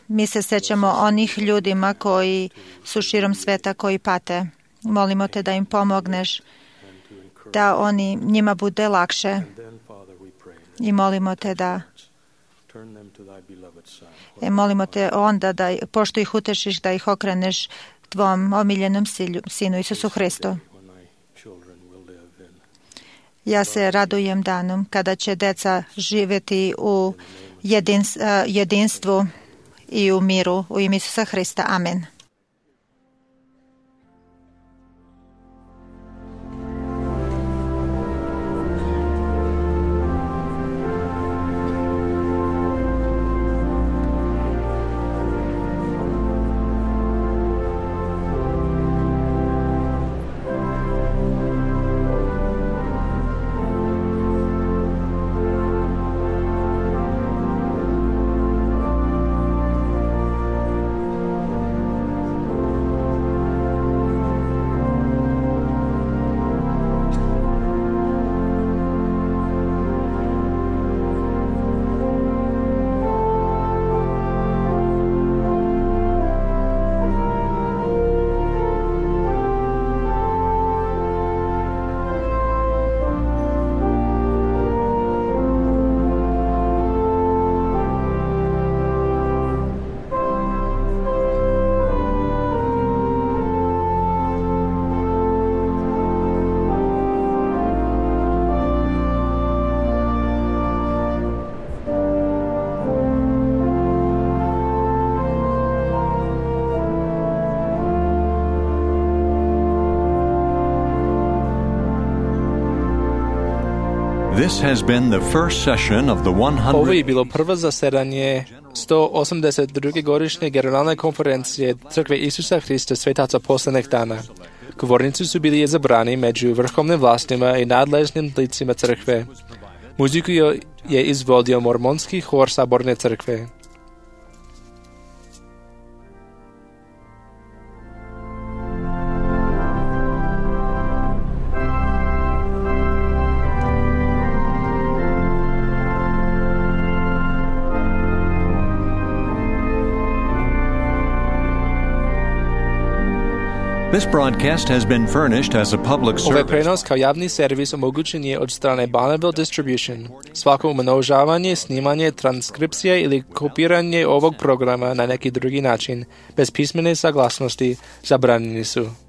mi se sećamo onih ljudima koji su širom sveta, koji pate. Molimo te da im pomogneš, da oni, njima bude lakše. I molimo te da e, molimo te onda da, pošto ih utešiš, da ih okreneš tvom omiljenom sinu Isusu Hristu. Ja se radujem danom kada će deca živjeti u jedins, jedinstvu i u miru u ime Isusa Hrista. Amen. This has been the first session of the Ovo je bilo prvo zasedanje sto osamdeset druge godišnje generalne konferencije Crkve Isusa Hrista Svetaca posljednjeg dana. Govornici su bili izabrani među vrhovnim vlastima i nadležnim licima crkve. Muziku je izvodio mormonski hor Saborne crkve. This broadcast has been furnished as a public service. Ovaj prenos kao javni servis omogućen je od strane Bonneville Distribution. Svako umnožavanje, snimanje, transkripcija ili kopiranje ovog programa na neki drugi način, bez pismene saglasnosti, zabranjeni su.